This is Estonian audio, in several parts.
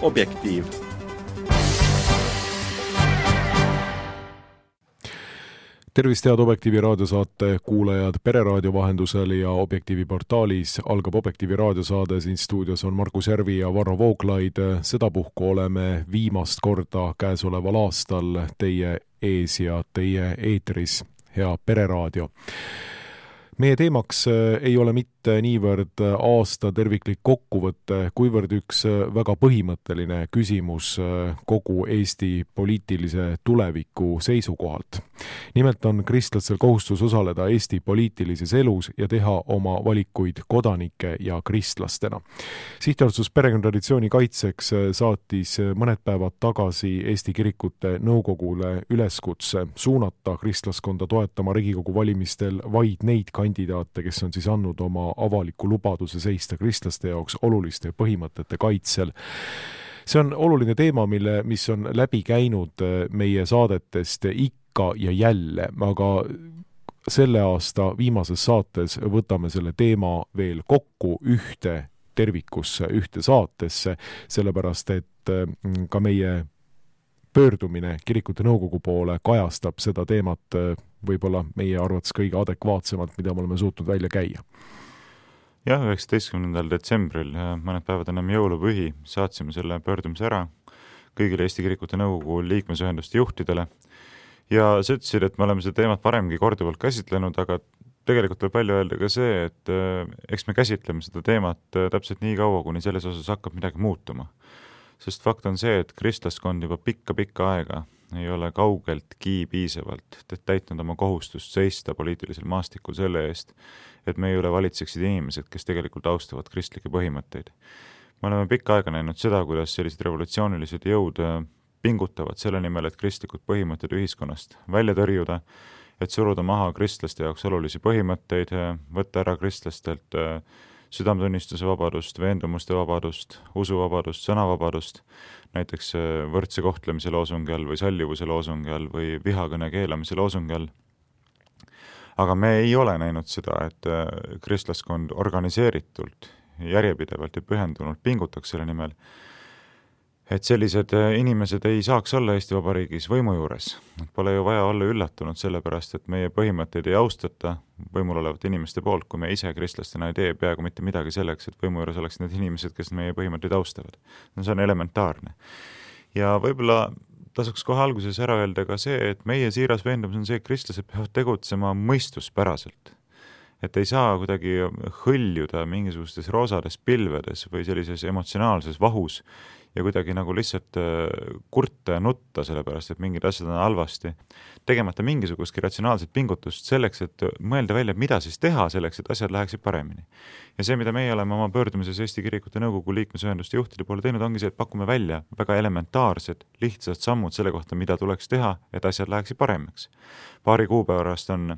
Objektiiv. Tervist head Objektiivi raadiosaate kuulajad Pereraadio vahendusel ja Objektiivi portaalis algab Objektiivi raadiosaade. Siin stuudios on Markus Järvi ja Varro Vooglaid. Sedapuhku oleme viimast korda käesoleval aastal teie ees ja teie eetris, hea Pereraadio. Meie teemaks ei ole mitte niivõrd aasta terviklik kokkuvõte, kuivõrd üks väga põhimõtteline küsimus kogu Eesti poliitilise tuleviku seisukohalt. Nimelt on kristlastel kohustus osaleda Eesti poliitilises elus ja teha oma valikuid kodanike ja kristlastena. Sihtasutus Perekonnatraditsiooni kaitseks saatis mõned päevad tagasi Eesti Kirikute Nõukogule üleskutse suunata kristlaskonda toetama Riigikogu valimistel vaid neid kandidaate, kes on siis andnud oma avaliku lubaduse seista kristlaste jaoks oluliste põhimõtete kaitsel. See on oluline teema, mis on läbi käinud meie saadetest ikka ja jälle, aga selle aasta viimases saates võtame selle teema veel kokku ühte tervikusse, ühte saatesse, sellepärast et ka meie pöördumine Kirikute Nõukogu poole kajastab seda teemat võib-olla meie arvates kõige adekvaatsemalt, mida me oleme suutnud välja käia. Jah, 19. detsembril, mõned päevad ennem jõulupühi, saatsime selle pöördumise ära kõigile Eesti Kirikute Nõukogu liikmesühenduste juhtidele. Ja sa ütlesid, et me oleme seda teemat varemgi korduvalt käsitlenud, aga tegelikult tuleb välja öelda ka see, et eks me käsitleme seda teemat täpselt nii kaua, kuni selles osas hakkab midagi muutuma. Sest fakt on see, et kristlaskond juba pikka aega ei ole kaugeltki piisavalt täitnud oma kohustust seista poliitilisel maastikul selle eest, et meie üle valitseksid inimesed, kes tegelikult austavad kristlikke põhimõtteid. Me oleme pikka aega näinud seda, kuidas sellised revolutsioonilised jõud pingutavad selle nimel, et kristlikud põhimõtted ühiskonnast välja tõrjuda, et suruda maha kristlaste jaoks olulisi põhimõtteid, võtta ära kristlastelt südametunnistuse vabadust, veendumuste vabadust, usuvabadust, sõnavabadust, näiteks võrdse kohtlemise loosungi all või sallivuse loosungi all või vihakõne keelamise loosungi all. Aga me ei ole näinud seda, et kristlaskond organiseeritult, järjepidevalt ja pühendunult pingutaks selle nimel, et sellised inimesed ei saaks olla Eesti Vabariigis võimu juures. Pole ju vaja olla üllatunud sellepärast, et meie põhimõtteid ei austata võimul olevate inimeste poolt, kui me ise kristlastena ei tee peaaegu mitte midagi selleks, et võimu juures oleks need inimesed, kes meie põhimõtteid austavad. See on elementaarne. Ja võib-olla tasuks kohe alguses ära öelda ka see, et meie siiras veendumus on see, et kristlased peavad tegutsema mõistuspäraselt. Et ei saa kuidagi hõljuda mingisugustes roosades pilvedes või sellises emotsionaalses vahus ja kuidagi nagu lihtsalt kurta ja nutta sellepärast, et mingid asjad on halvasti, tegemata mingisugustki ratsionaalset pingutust selleks, et mõelda välja, mida siis teha selleks, et asjad läheksid paremini. Ja see, mida meie oleme oma pöördumises Eesti Kirikute Nõukogu liikmesühenduste juhtide poole teinud, ongi see, et pakume välja väga elementaarsed, lihtsad sammud selle kohta, mida tuleks teha, et asjad läheksid paremaks. Paari kuupäevast on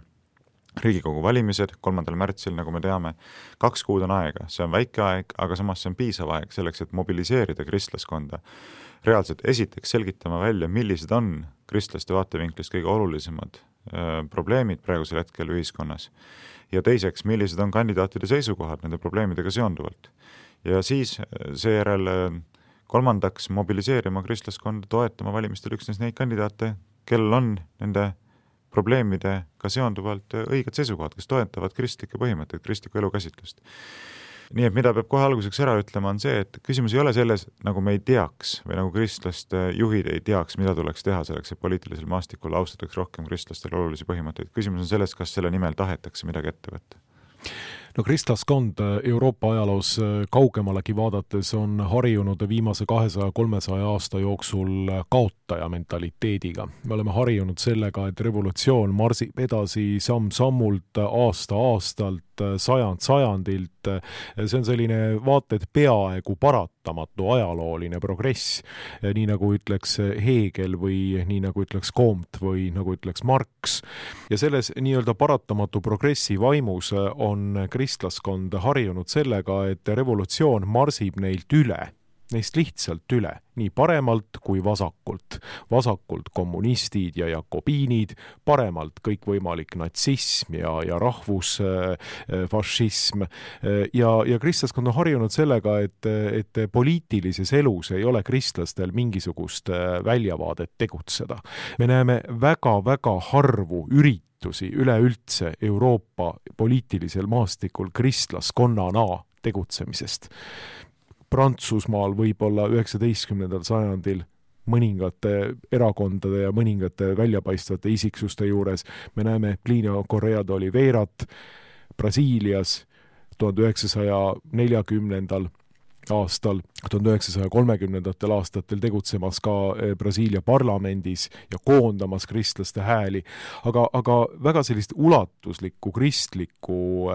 Riigikogu valimised 3. märtsil, nagu me teame, 2 kuud on aega. See on väike aeg, aga samas see on piisav aeg selleks, et mobiliseerida kristlaskonda. Reaalselt esiteks selgitama välja, millised on kristlaste vaatevinklist kõige olulisemad probleemid praegusel hetkel ühiskonnas. Ja teiseks, millised on kandidaatide seisukohad nende probleemidega seonduvalt. Ja siis seejärel kolmandaks mobiliseerima kristlaskonda, toetama valimistel üksnes neid kandidaate, kellel on nende probleemidega seonduvalt õiged seisukohad, kes toetavad kristlikke põhimõtteid, kristlikku elukäsitlust. Nii et mida peab kohe alguseks ära ütlema on see, et küsimus ei ole selles, nagu me ei teaks või nagu kristlaste juhid ei teaks, mida tuleks teha selleks, et poliitilisel maastikul austataks rohkem kristlastel olulisi põhimõtteid. Küsimus on selles, kas selle nimel tahetakse midagi ette võtta. No kristlaskond Euroopa ajaloos kaugemalegi vaadates on harjunud viimase 200-300 aasta jooksul kaotaja mentaliteediga. Me oleme harjunud sellega, et revolutsioon marsib edasi samm-sammult, aasta-aastalt, sajandilt. See on selline vaata, et peaaegu paratamatu ajalooline progress, nii nagu ütleks Hegel või nii nagu ütleks Comte või nagu ütleks Marx. Ja selles nii-öelda paratamatu progressi vaimus on kristlaskond harjunud sellega, et revolutsioon marsib neilt üle neist lihtsalt üle, nii paremalt kui vasakult. Vasakult kommunistid ja jakobiinid, paremalt kõikvõimalik natsism ja rahvusfašism. Ja kristlaskond on harjunud sellega, et poliitilises elus ei ole kristlastel mingisugust väljavaadet tegutseda. Me näeme väga-väga harvu üritusi üleüldse Euroopa poliitilisel maastikul kristlaskonnana tegutsemisest. Prantsusmaal võib-olla 19. sajandil mõningate erakondade ja mõningate väljapaistvate isiksuste juures. Me näeme Plinio Correa de Oliverat Brasiilias 1940. aastal, 1930. aastatel tegutsemas ka Brasiilia parlamendis ja koondamas kristlaste hääli, aga väga sellist ulatuslikku kristlikku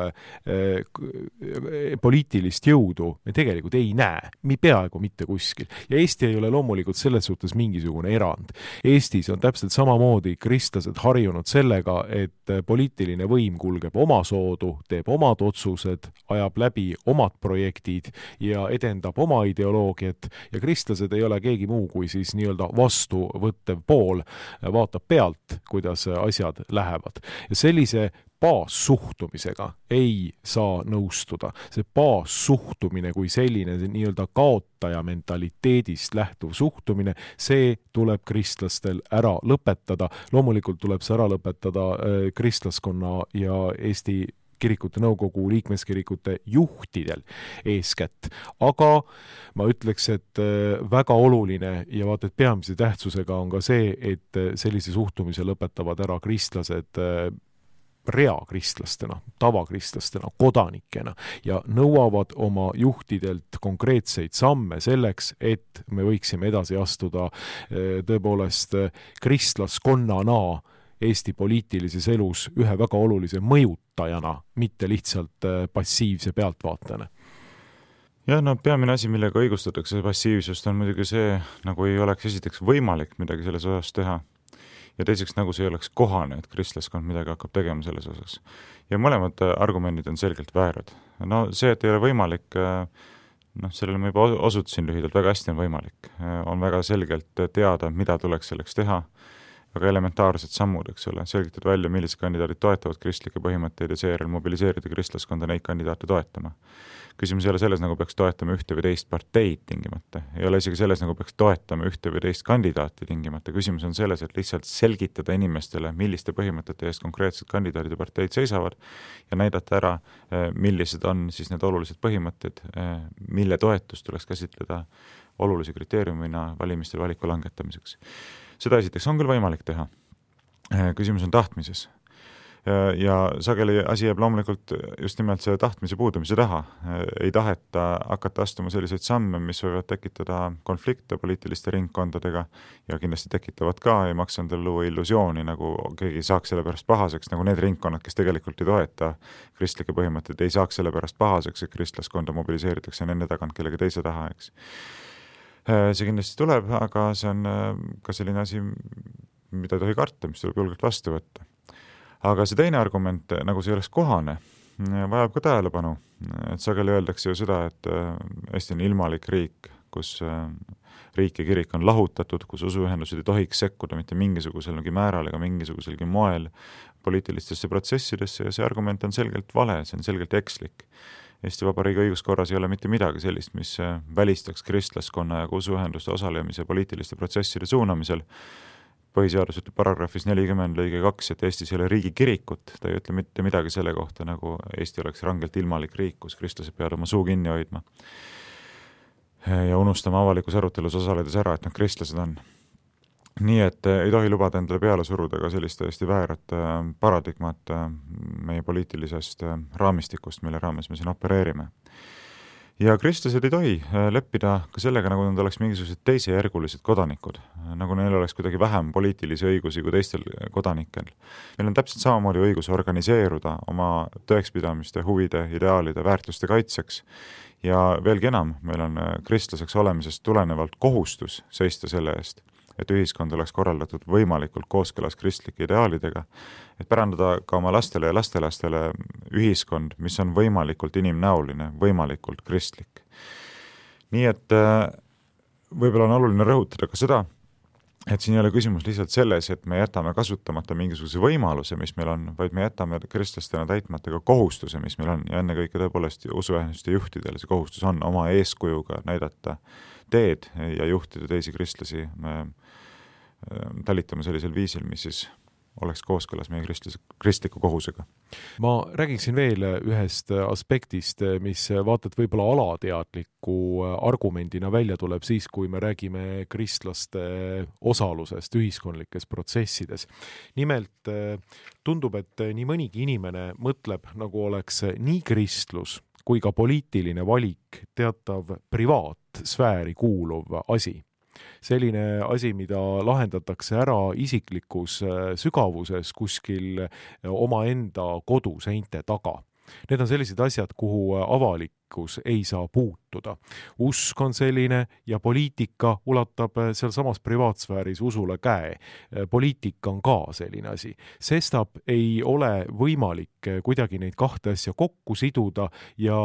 poliitilist jõudu me tegelikult ei näe, peaaegu mitte kuskil. Ja Eesti ei ole loomulikult selles suhtes mingisugune erand. Eestis on täpselt samamoodi kristlased harjunud sellega, et poliitiline võim kulgeb oma soodu, teeb omad otsused, ajab läbi omad projektid ja edendab oma ideoloogiat ja kristlased ei ole keegi muu kui siis nii-öelda vastuvõttev pool, vaatab pealt, kuidas asjad lähevad. Ja sellise baassuhtumisega ei saa nõustuda. See baassuhtumine kui selline nii-öelda kaotaja mentaliteedist lähtuv suhtumine, see tuleb kristlastel ära lõpetada. Loomulikult tuleb see ära lõpetada kristlaskonna ja Eesti kirikute nõukogu liikmeskirikute juhtidel eeskätt. Aga ma ütleks, et väga oluline ja vaata, et peamise tähtsusega on ka see, et sellise suhtumise lõpetavad ära kristlased reakristlastena, tavakristlasena, kodanikena ja nõuavad oma juhtidelt konkreetseid samme selleks, et me võiksime edasi astuda tõepoolest kristlaskonnana Eesti poliitilises elus ühe väga olulise mõjutajana, mitte lihtsalt passiivse pealtvaatajana. Ja peamine asi, millega õigustatakse passiivsust, on muidugi see, nagu ei oleks esiteks võimalik midagi selles osas teha. Ja teiseks, nagu see ei oleks kohane, et kristlaskond midagi hakkab tegema selles osas. Ja mõlemad argumendid on selgelt väärad. See, et ei ole võimalik, sellele ma juba osutasin lühidalt, väga hästi on võimalik. On väga selgelt teada, mida tuleks selleks teha, väga elementaarsed sammud, eks ole, selgitada välja, millised kandidaadid toetavad kristlikke põhimõtteid ja seejärel mobiliseerida kristlaskonda neid kandidaate toetama. Küsimus ei ole selles, nagu peaks toetama ühte või teist parteid tingimata. Ei ole isegi selles, nagu peaks toetama ühte või teist kandidaati tingimata. Küsimus on selles, et lihtsalt selgitada inimestele, milliste põhimõtete eest konkreetsed kandidaadid ja parteid seisavad ja näidata ära, millised on siis need olulised põhimõtted, mille toetust tuleks käsitleda olulise kriteeriumina valimistel valiku langetamiseks. Seda esiteks on küll võimalik teha. Küsimus on tahtmises. Ja sageli asi jääb loomulikult just nimelt see tahtmise puudumise taha. Ei taheta hakata astuma selliseid samme, mis võivad tekitada konflikte poliitiliste ringkondadega ja kindlasti tekitavad ka, ei maksa endale luua illusiooni, nagu keegi saaks selle pärast pahaseks, nagu need ringkonnad, kes tegelikult ei toeta kristlike põhimõtteid, ei saaks selle pärast pahaseks, et kristlaskonda mobiliseeritakse nende tagant kellegi teise taha, eks. See kindlasti tuleb, aga see on ka selline asi, mida ei tohi karta, mis tuleb julgelt vastu võtta. Aga see teine argument, nagu see oleks kohane, vajab ka tähelepanu. Et sageli öeldakse ju seda, et Eesti on ilmalik riik, kus riik ja kirik on lahutatud, kus usuühendused ei tohiks sekkuda mitte mingisuguselgi määral ega mingisuguselgi moel poliitilistesse protsessidesse ja see argument on selgelt vale, see on selgelt ekslik. Eesti Vabariigi õiguskorras ei ole mitte midagi sellist, mis välistaks kristlaskonna ja usuühenduste osalemise poliitiliste protsesside suunamisel. Põhiseadus ütleb paragrahvis 40 lõige 2, et Eestis ei ole riigi kirikut, ta ei ütle mitte midagi selle kohta, nagu Eesti oleks rangelt ilmalik riik, kus kristlased peavad oma suu kinni hoidma ja unustama avalikus arutelus osaledes ära, et nad kristlased on. Nii et ei tohi lubada endale peale suruda ka sellist täiesti väärat paradigmat meie poliitilisest raamistikust, mille raames me siin opereerime. Ja kristlased ei tohi leppida ka sellega, nagu nad oleks mingisugused teisejärgulised kodanikud, nagu neil oleks kuidagi vähem poliitilisi õigusi kui teistel kodanikel. Meil on täpselt samamoodi õigus organiseeruda oma tõekspidamiste, huvide, ideaalide, väärtuste kaitseks ja veelgi enam, meil on kristlaseks olemisest tulenevalt kohustus seista selle eest, et ühiskond oleks korraldatud võimalikult kooskõlas kristlike ideaalidega, et pärandada ka oma lastele ja lastelastele ühiskond, mis on võimalikult inimnäoline, võimalikult kristlik. Nii et võib-olla on oluline rõhutada ka seda, et siin ei ole küsimus lihtsalt selles, et me jätame kasutamata mingisuguse võimaluse, mis meil on, vaid me jätame kristlastena täitmata ka kohustuse, mis meil on, ja ennekõike tõepoolest usuühenduste juhtidele see kohustus on oma eeskujuga näidata teed ja juhtida teisi kristlasi talitama sellisel viisil, mis siis oleks kooskõlas meie kristliku kohusega. Ma räägiksin veel ühest aspektist, mis vaata, et võib-olla alateadliku argumendina välja tuleb siis, kui me räägime kristlaste osalusest ühiskondlikes protsessides. Nimelt tundub, et nii mõnigi inimene mõtleb, nagu oleks nii kristlus kui ka poliitiline valik teatav privaatsfääri kuuluv asi. Selline asi, mida lahendatakse ära isiklikus sügavuses kuskil omaenda koduseinte taga. Need on sellised asjad, kuhu avalikkus ei saa puutuda. Usk on selline ja poliitika ulatab seal samas privaatsfääris usule käe. Poliitika on ka selline asi. Sestap ei ole võimalik kuidagi neid kahte asja kokku siduda ja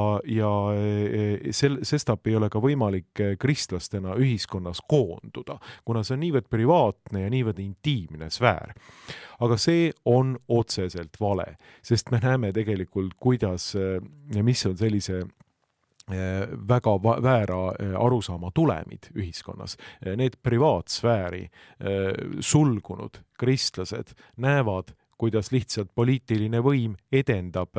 sestap ei ole ka võimalik kristlastena ühiskonnas koonduda, kuna see on niivõrd privaatne ja niivõrd intiimne sfäär. Aga see on otseselt vale, sest me näeme tegelikult, kuidas ja mis on sellise väga väära arusaama tulemid ühiskonnas. Need privaatsfääri sulgunud kristlased näevad, kuidas lihtsalt poliitiline võim edendab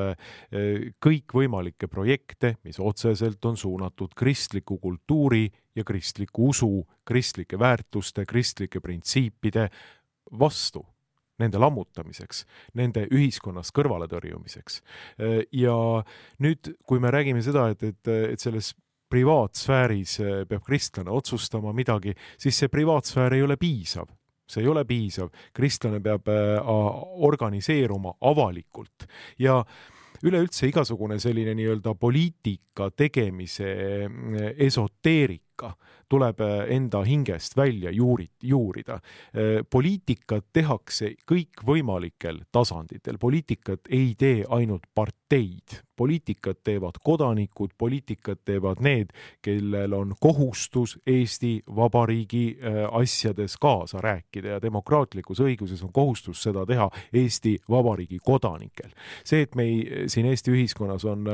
kõikvõimalikke projekte, mis otseselt on suunatud kristliku kultuuri ja kristliku usu, kristlike väärtuste, kristlike printsiipide vastu, nende lammutamiseks, nende ühiskonnas kõrvaletõrjumiseks. Ja nüüd, kui me räägime seda, et selles privaatsfääris peab kristlane otsustama midagi, siis see privaatsfäär ei ole piisav. See ei ole piisav. Kristlane peab organiseeruma avalikult ja üleüldse igasugune selline nii-öelda poliitika tegemise esoteerika tuleb enda hingest välja juurida. Poliitikat tehakse kõikvõimalikel tasanditel. Poliitikat ei tee ainult parteid. Poliitikat teevad kodanikud, poliitikat teevad need, kellel on kohustus Eesti Vabariigi asjades kaasa rääkida ja demokraatlikus õiguses on kohustus seda teha Eesti Vabariigi kodanikel. See, et me siin Eesti ühiskonnas on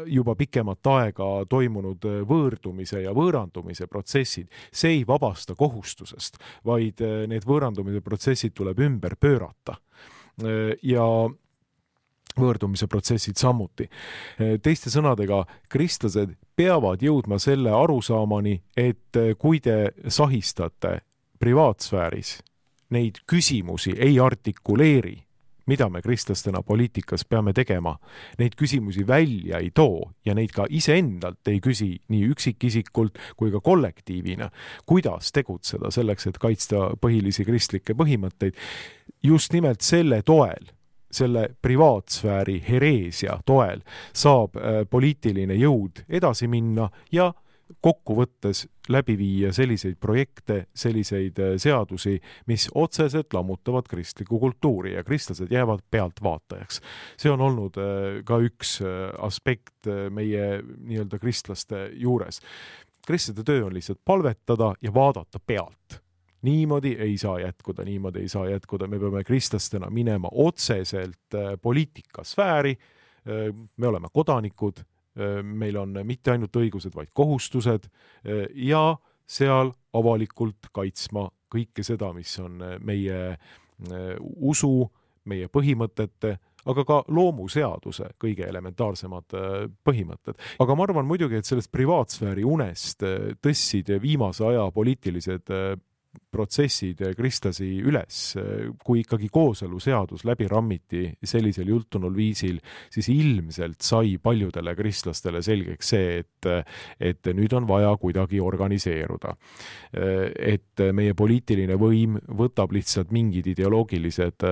juba pikemat aega toimunud võõrdumise ja võõrandumise protsessid, see ei vabasta kohustusest, vaid need võõrandumise protsessid tuleb ümber pöörata. Ja võõrdumise protsessid samuti. Teiste sõnadega, kristlased peavad jõudma selle arusaamani, et kui te sahistate privaatsfääris, neid küsimusi ei artikuleeri, mida me kristlastena poliitikas peame tegema, neid küsimusi välja ei too ja neid ka iseendalt ei küsi nii üksikisikult kui ka kollektiivina, kuidas tegutseda selleks, et kaitsta põhilisi kristlikke põhimõtteid. Just nimelt selle toel, selle privaatsfääri hereesia toel saab poliitiline jõud edasi minna ja kokkuvõttes läbi viia selliseid projekte, selliseid seadusi, mis otseselt lammutavad kristliku kultuuri ja kristlased jäävad pealtvaatajaks. See on olnud ka üks aspekt meie nii-öelda kristlaste juures. Kristlaste töö on lihtsalt palvetada ja vaadata pealt. Niimoodi ei saa jätkuda. Me peame kristlastena minema otseselt poliitikasfääri, me oleme kodanikud, meil on mitte ainult õigused, vaid kohustused ja seal avalikult kaitsma kõike seda, mis on meie usu, meie põhimõtete, aga ka loomuseaduse kõige elementaarsemad põhimõtted. Aga ma arvan muidugi, et sellest privaatsfääri unest tõssid viimase aja poliitilised protsessid kristlasi üles, kui ikkagi kooseluseadus läbi rammiti sellisel jultunul viisil, siis ilmselt sai paljudele kristlastele selgeks see, et nüüd on vaja kuidagi organiseeruda. Et meie poliitiline võim võtab lihtsalt mingid ideoloogilised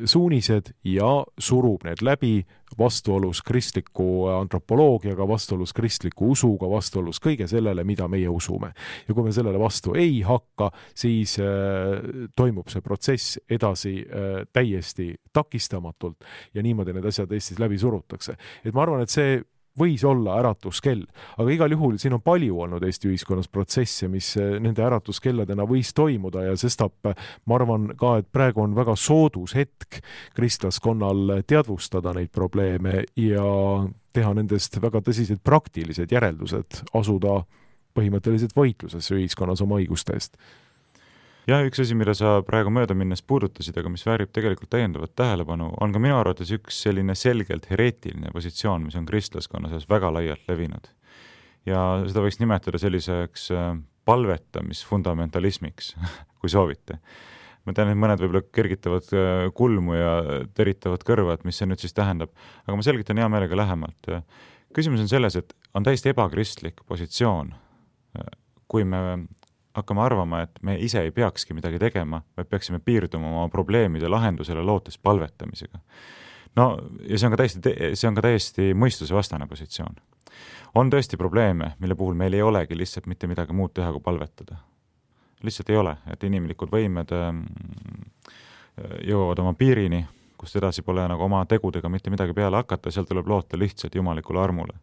suunised ja surub need läbi vastuolus kristliku antropoloogiaga, vastuolus kristliku usuga, vastuolus kõige sellele, mida meie usume. Ja kui me sellele vastu ei hakka, siis toimub see protsess edasi täiesti takistamatult ja niimoodi need asjad Eestis läbi surutakse. Et ma arvan, et see võis olla äratuskell, aga igal juhul siin on palju olnud Eesti ühiskonnas protsesse, mis nende äratuskelladena võis toimuda ja sestap ma arvan ka, et praegu on väga soodus hetk kristlaskonnal teadvustada neid probleeme ja teha nendest väga tõsised praktilised järeldused, asuda põhimõtteliselt võitlusesse ühiskonnas oma õiguste eest. Ja üks asi, mida sa praegu mööda minnes puudutasid, aga mis väärib tegelikult täiendavat tähelepanu, on ka minu arvates üks selline selgelt hereetiline positsioon, mis on kristlaskonnas väga laialt levinud. Ja seda võiks nimetada selliseks palvetamisfundamentalismiks, kui soovite. Ma tean, et mõned võib-olla kergitavad kulmu ja teritavad kõrvad, mis see nüüd siis tähendab, aga ma selgitan hea meelega lähemalt. Küsimus on selles, et on täiesti ebakristlik positsioon, kui me hakkame arvama, et me ise ei peakski midagi tegema, vaid peaksime piirduma oma probleemide lahendusele lootes palvetamisega. No, ja see on ka täiesti mõistuse vastane positsioon. On tõesti probleeme, mille puhul meil ei olegi lihtsalt mitte midagi muud teha, kui palvetada. Lihtsalt ei ole, et inimlikud võimed jõuavad oma piirini, kust edasi pole nagu oma tegudega mitte midagi peale hakata, seal tuleb loota lihtsalt jumalikule armule.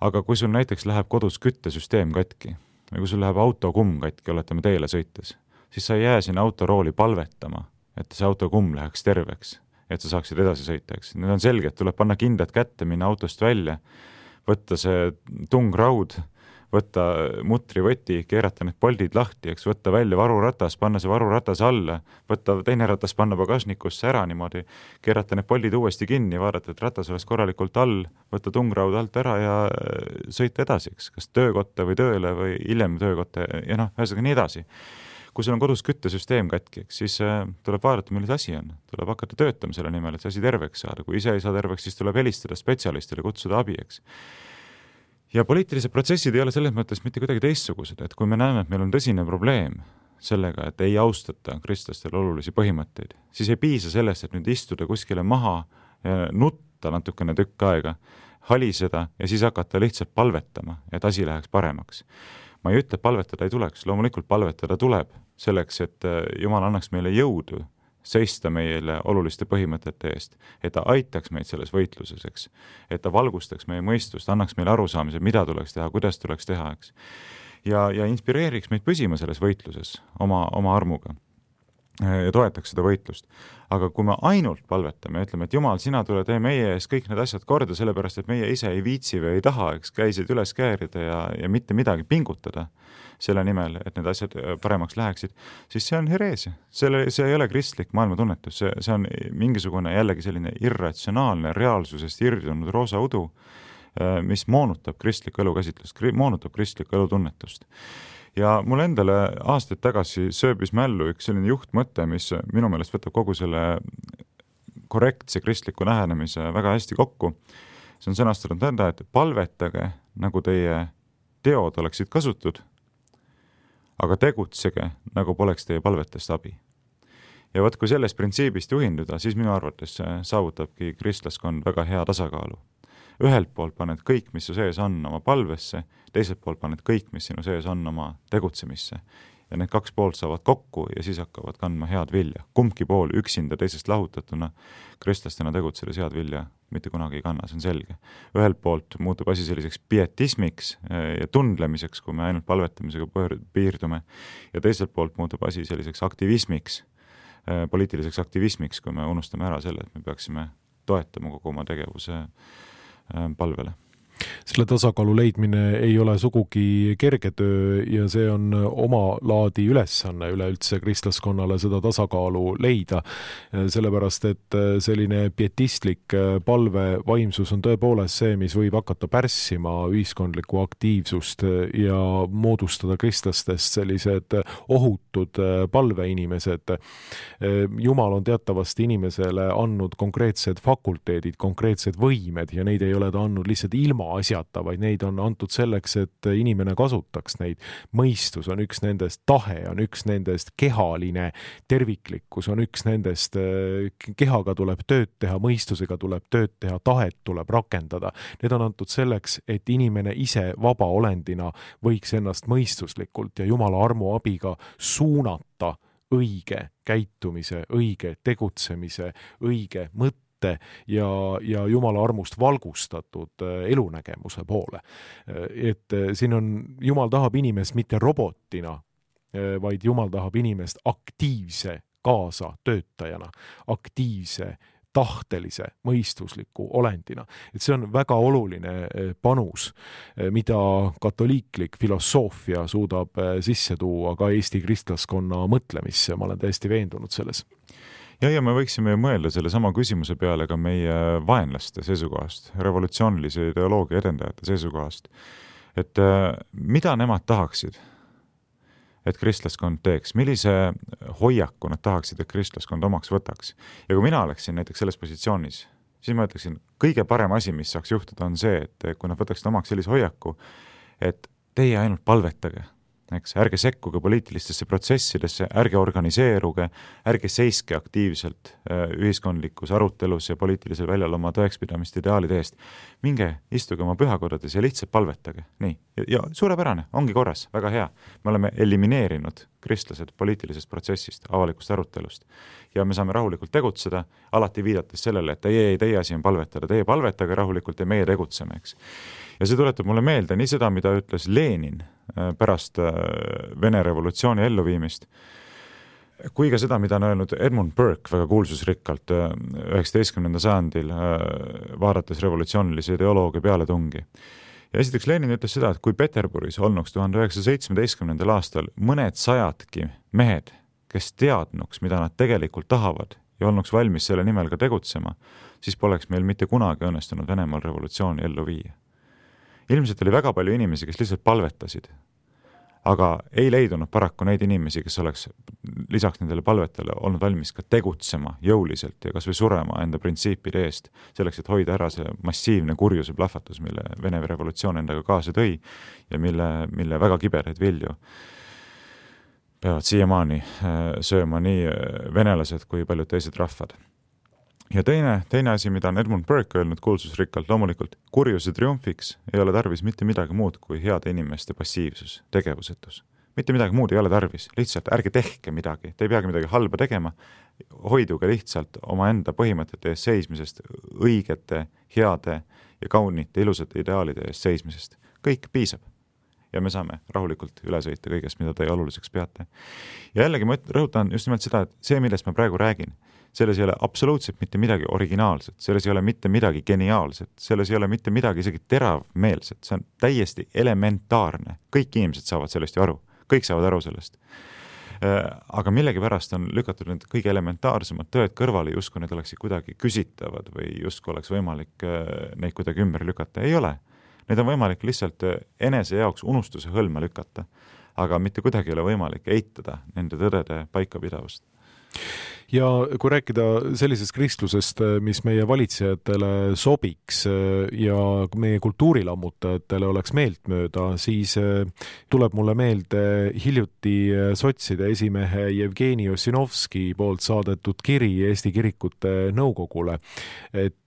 Aga kui sul näiteks läheb kodus küttesüsteem katki, või kui sul läheb autokumm katki, oletame teele sõites, siis sa ei jää sinna autorooli palvetama, et see autokumm läheks terveks, et sa saaksid edasi sõita, eks. Need on selged, tuleb panna kindad kätte, minna autost välja, võtta see tungraud, võtta mutrivõti, keerata need poldid lahti, eks, võtta välja varuratas, panna see varuratas alla, võtta teine ratas, panna pagasnikusse ära niimoodi, keerata need poldid uuesti kinni, vaadata, et ratas oleks korralikult all, võtta tungraud alt ära ja sõita edasi, eks, kas töökotta või tööle või hiljem töökotta ja ühesõnaga nii edasi. Kui sul on kodus küttesüsteem katki, siis tuleb vaadata, milles asi on. Tuleb hakata töötama selle nimel, et see asi terveks saada. Kui ise ei saa terveks, siis tuleb helistada spetsialistile, kutsuda abi, eks. Ja poliitilised protsessid ei ole selles mõttes mitte kuidagi teistsugused, et kui me näeme, et meil on tõsine probleem sellega, et ei austata kristlastel olulisi põhimõtteid, siis ei piisa sellest, et nüüd istuda kuskile maha ja nutta natukene tükk aega, haliseda ja siis hakata lihtsalt palvetama, et asi läheks paremaks. Ma ei ütle, et palvetada ei tuleks, loomulikult palvetada tuleb selleks, et Jumal annaks meile jõudu seista meile oluliste põhimõtete eest, et ta aitaks meid selles võitluses, eks, et ta valgustaks meie mõistust, annaks meile arusaamise, mida tuleks teha, kuidas tuleks teha, eks. Ja inspireeriks meid püsima selles võitluses oma armuga ja toetaks seda võitlust. Aga kui me ainult palvetame ja ütleme, et Jumal, sina tule tee meie ees kõik need asjad korda, sellepärast, et meie ise ei viitsi või ei taha, eks, käisid üles käärida ja mitte midagi pingutada selle nimel, et need asjad paremaks läheksid, siis see on hereesia. See ei ole kristlik maailmatunnetus, see on mingisugune jällegi selline irratsionaalne reaalsusest irdunud roosa udu, mis moonutab kristlikku elukäsitlust, moonutab kristlikku elutunnetust. Ja mul endale aastaid tagasi sööbis mällu üks selline juhtmõte, mis minu meelest võtab kogu selle korrektse kristliku lähenemise väga hästi kokku. See on sõnastatud nõnda, et palvetage, nagu teie teod oleksid kasutud, aga tegutsege, nagu poleks teie palvetest abi. Ja võt, kui sellest printsiibist juhinduda, siis minu arvates saavutabki kristlaskond väga hea tasakaalu. Ühelt poolt paned kõik, mis su sees on oma palvesse, teiselt poolt paned kõik, mis sinu sees on oma tegutsemisse. Ja need kaks poolt saavad kokku ja siis hakkavad kandma head vilja. Kumbki pool üksinda teisest lahutatuna kristlastena tegutsedes head vilja mitte kunagi ei kanna, see on selge. Ühelt poolt muutub asi selliseks pietismiks ja tundlemiseks, kui me ainult palvetamisega piirdume, ja teiselt poolt muutub asi selliseks aktivismiks, poliitiliseks aktivismiks, kui me unustame ära selle, et me peaksime toetama kogu oma tegevuse palvele. Selle tasakaalu leidmine ei ole sugugi kerge töö ja see on oma laadi ülesanne üleüldse kristlaskonnale seda tasakaalu leida, sellepärast et selline pietistlik palvevaimsus on tõepoolest see, mis võib hakata pärssima ühiskondlikku aktiivsust ja moodustada kristlastest sellised ohutud palveinimesed. Jumal on teatavasti inimesele andnud konkreetsed fakulteedid, konkreetsed võimed ja neid ei ole ta andnud lihtsalt ilma asjata, vaid neid on antud selleks, et inimene kasutaks neid. Mõistus on üks nendest, tahe on üks nendest, kehaline terviklikkus on üks nendest, kehaga tuleb tööd teha, mõistusega tuleb tööd teha, tahet tuleb rakendada. Need on antud selleks, et inimene ise vaba olendina võiks ennast mõistuslikult ja Jumala armu abiga suunata õige käitumise, õige tegutsemise, õige mõtte ette ja Jumala armust valgustatud elunägemuse poole. Et siin on, Jumal tahab inimest mitte robotina, vaid Jumal tahab inimest aktiivse kaasatöötajana, aktiivse tahtelise, mõistusliku olendina. Et see on väga oluline panus, mida katoliiklik filosoofia suudab sisse tuua ka Eesti kristlaskonna mõtlemisse. Ma olen täiesti veendunud selles. Ja me võiksime mõelda selle sama küsimuse peale ka meie vaenlaste seisukohast, revolutsioonilise ideoloogia edendajate seisukohast. Et mida nemad tahaksid, et kristlaskond teeks, millise hoiaku nad tahaksid, et kristlaskond omaks võtaks. Ja kui mina oleksin näiteks selles positsioonis, siis ma ütleksin, kõige parem asi, mis saaks juhtuda, on see, et kui nad võtaksid omaks sellise hoiaku, et teie ainult palvetage, eks, ärge sekkuge poliitilistesse protsessidesse, ärge organiseeruge, ärge seiske aktiivselt ühiskondlikus arutelus ja poliitilisel väljal oma tõekspidamist ideaalide eest. Minge, istuge oma pühakodades ja lihtsalt palvetage. Nii. Ja suurepärane, ongi korras, väga hea. Me oleme elimineerinud kristlased poliitilisest protsessist, avalikust arutelust. Ja me saame rahulikult tegutseda, alati viidates sellele, et teie asi on palvetada, teie palvetage rahulikult ja meie tegutseme, eks. Ja see tuletab mulle meelde nii seda, mida ütles Lenin pärast Vene revolutsiooni elluviimist, kui ka seda, mida on öelnud Edmund Burke väga kuulsusrikkalt 19. sajandil vaadates revolutsioonilise ideoloogia pealetungi. Ja esiteks Lenin ütles seda, et kui Peterburis olnuks 1917. aastal mõned sajadki mehed, kes teadnuks, mida nad tegelikult tahavad ja olnuks valmis selle nimel ka tegutsema, siis poleks meil mitte kunagi õnnestunud Venemaal revolutsiooni ellu viia. Ilmselt oli väga palju inimesi, kes lihtsalt palvetasid, aga ei leidunud paraku neid inimesi, kes oleks lisaks nendele palvetele olnud valmis ka tegutsema jõuliselt ja kas või surema enda printsiipide eest, selleks, et hoida ära see massiivne kurjuse plahvatus, mille Vene revolutsioon endaga kaasa tõi ja mille väga kibedaid vilju peavad siiamaani sööma nii venelased kui paljud teised rahvad. Ja teine asi, mida on Edmund Burke öelnud kuulsusrikkalt, loomulikult kurjuse triumfiks ei ole tarvis mitte midagi muud kui heade inimeste passiivsus, tegevusetus. Mitte midagi muud ei ole tarvis, lihtsalt ärge tehke midagi, te ei peagi midagi halba tegema, hoiduge lihtsalt oma enda põhimõtete eest seismisest, õigete, heade ja kaunite, ilusate ideaalide eest seismisest. Kõik piisab. Ja me saame rahulikult üle sõita kõigest, mida te oluliseks peate. Ja jällegi ma rõhutan just nimelt seda, et see, millest ma praegu räägin, selles ei ole absoluutselt mitte midagi originaalset, selles ei ole mitte midagi geniaalset, selles ei ole mitte midagi isegi teravmeelset, see on täiesti elementaarne. Kõik inimesed saavad sellest ju aru, kõik saavad aru sellest. Aga millegipärast on lükatud need kõige elementaarsemad tõed kõrvale, justkui need oleksid kuidagi küsitavad või justkui oleks võimalik neid kuidagi ümber lükata. Ei ole. Need on võimalik lihtsalt enese jaoks unustuse hõlma lükata, aga mitte kuidagi ei ole võimalik eitada nende tõdede paikapidavust. Ja kui rääkida sellisest kristlusest, mis meie valitsejatele sobiks ja meie kultuurilammutajatele oleks meeltmööda, siis tuleb mulle meelde hiljuti sotside esimehe Jevgeni Ossinovski poolt saadetud kiri Eesti kirikute nõukogule, et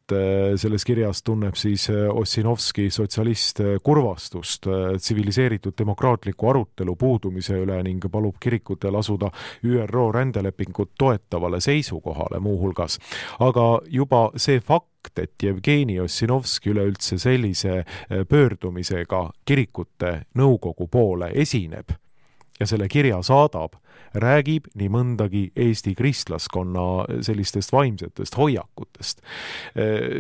selles kirjas tunneb siis Ossinovski sotsialist kurvastust tsiviliseeritud demokraatliku arutelu puudumise üle ning palub kirikutel asuda ÜRO rändelepingut toetavale seisukohale muuhulgas. Aga juba see fakt, et Jevgeni Ossinovski üleüldse sellise pöördumisega kirikute nõukogu poole esineb ja selle kirja saadab, räägib nii mõndagi Eesti kristlaskonna sellistest vaimsetest hoiakutest.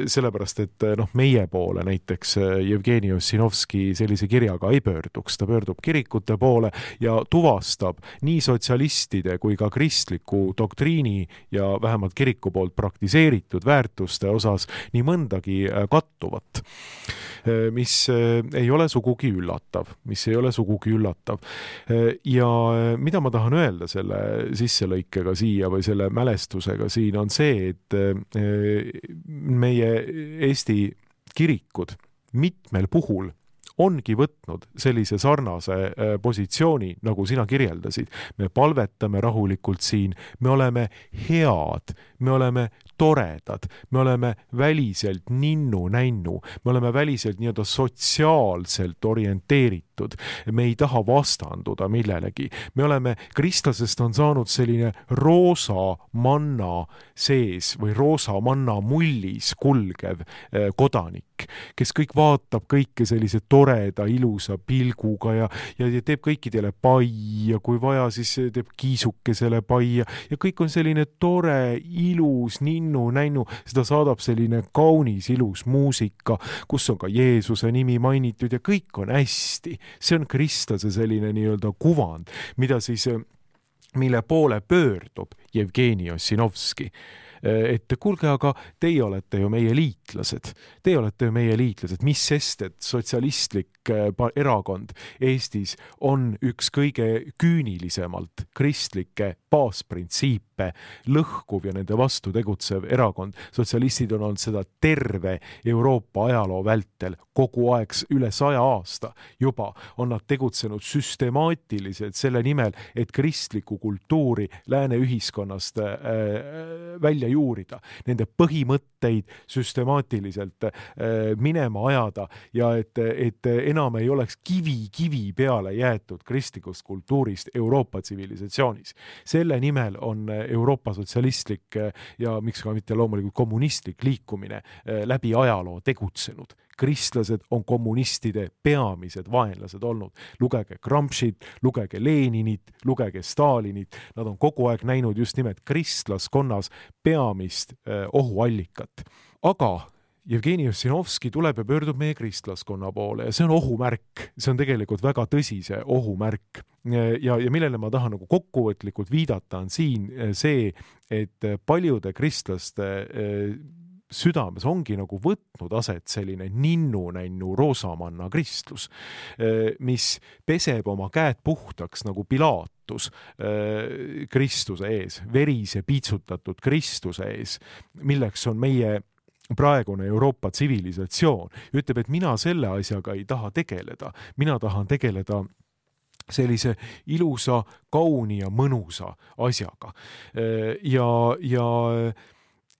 Sellepärast, et meie poole näiteks Jevgeni Ossinovski sellise kirjaga ei pöörduks. Ta pöördub kirikute poole ja tuvastab nii sotsialistide kui ka kristliku doktriini ja vähemalt kiriku poolt praktiseeritud väärtuste osas nii mõndagi kattuvat, mis ei ole sugugi üllatav. Ja mida ma tahan öelda selle sisselõikega siia või selle mälestusega siin on see, et meie Eesti kirikud mitmel puhul ongi võtnud sellise sarnase positsiooni, nagu sina kirjeldasid. Me palvetame rahulikult siin, me oleme head, me oleme toredad, me oleme väliselt ninnu-nännu, me oleme väliselt nii-öelda sotsiaalselt orienteeritud. avatud, me ei taha vastanduda millelegi. Me oleme, kristlasest on saanud selline roosa manna sees või roosa manna mullis kulgev kodanik, kes kõik vaatab kõike sellise toreda, ilusa pilguga ja teeb kõikidele pai ja kui vaja, siis teeb kiisukesele pai ja kõik on selline tore, ilus, ninnu, nännu, seda saadab selline kaunis, ilus muusika, kus on ka Jeesuse nimi mainitud ja kõik on hästi. See on kristlase selline nii-öelda kuvand, mille poole pöördub Jevgeni Ossinovski. Et kuulge, aga teie olete ju meie liitlased. Teie olete ju meie liitlased. Mis sest, et sotsialistlik erakond Eestis on üks kõige küünilisemalt kristlikke baasprintsiipe lõhkuv ja nende vastu tegutsev erakond. Sotsialistid on olnud seda terve Euroopa ajaloo vältel kogu aeg üle 100 aasta juba on nad tegutsenud süstemaatiliselt selle nimel, et kristlikku kultuuri lääne ühiskonnast välja juurida, nende põhimõtteid süstemaatiliselt minema ajada ja et enam ei oleks kivi peale jäetud kristlikust kultuurist Euroopa tsivilisatsioonis. Selle nimel on Euroopa sotsialistlik ja miks ka mitte loomulikult kommunistlik liikumine läbi ajaloo tegutsenud. Kristlased on kommunistide peamised vaenlased olnud. Lugege Gramscit, lugege Leninit, lugege Stalinit. Nad on kogu aeg näinud just nimelt kristlaskonnas peamist ohuallikat. Aga Jevgeni Ossinovski tuleb ja pöördub meie kristlaskonna poole ja see on ohumärk. See on tegelikult väga tõsise ohumärk. Ja millele ma tahan nagu kokkuvõtlikult viidata on siin see, et paljude kristlaste südames ongi nagu võtnud aset selline ninnu-nännu roosamanna kristlus, mis peseb oma käed puhtaks nagu Pilatus Kristuse ees, verise piitsutatud Kristuse ees, milleks on meie praegune Euroopa tsivilisatsioon. Ütleb, et mina selle asjaga ei taha tegeleda. Mina tahan tegeleda sellise ilusa, kauni ja mõnusa asjaga.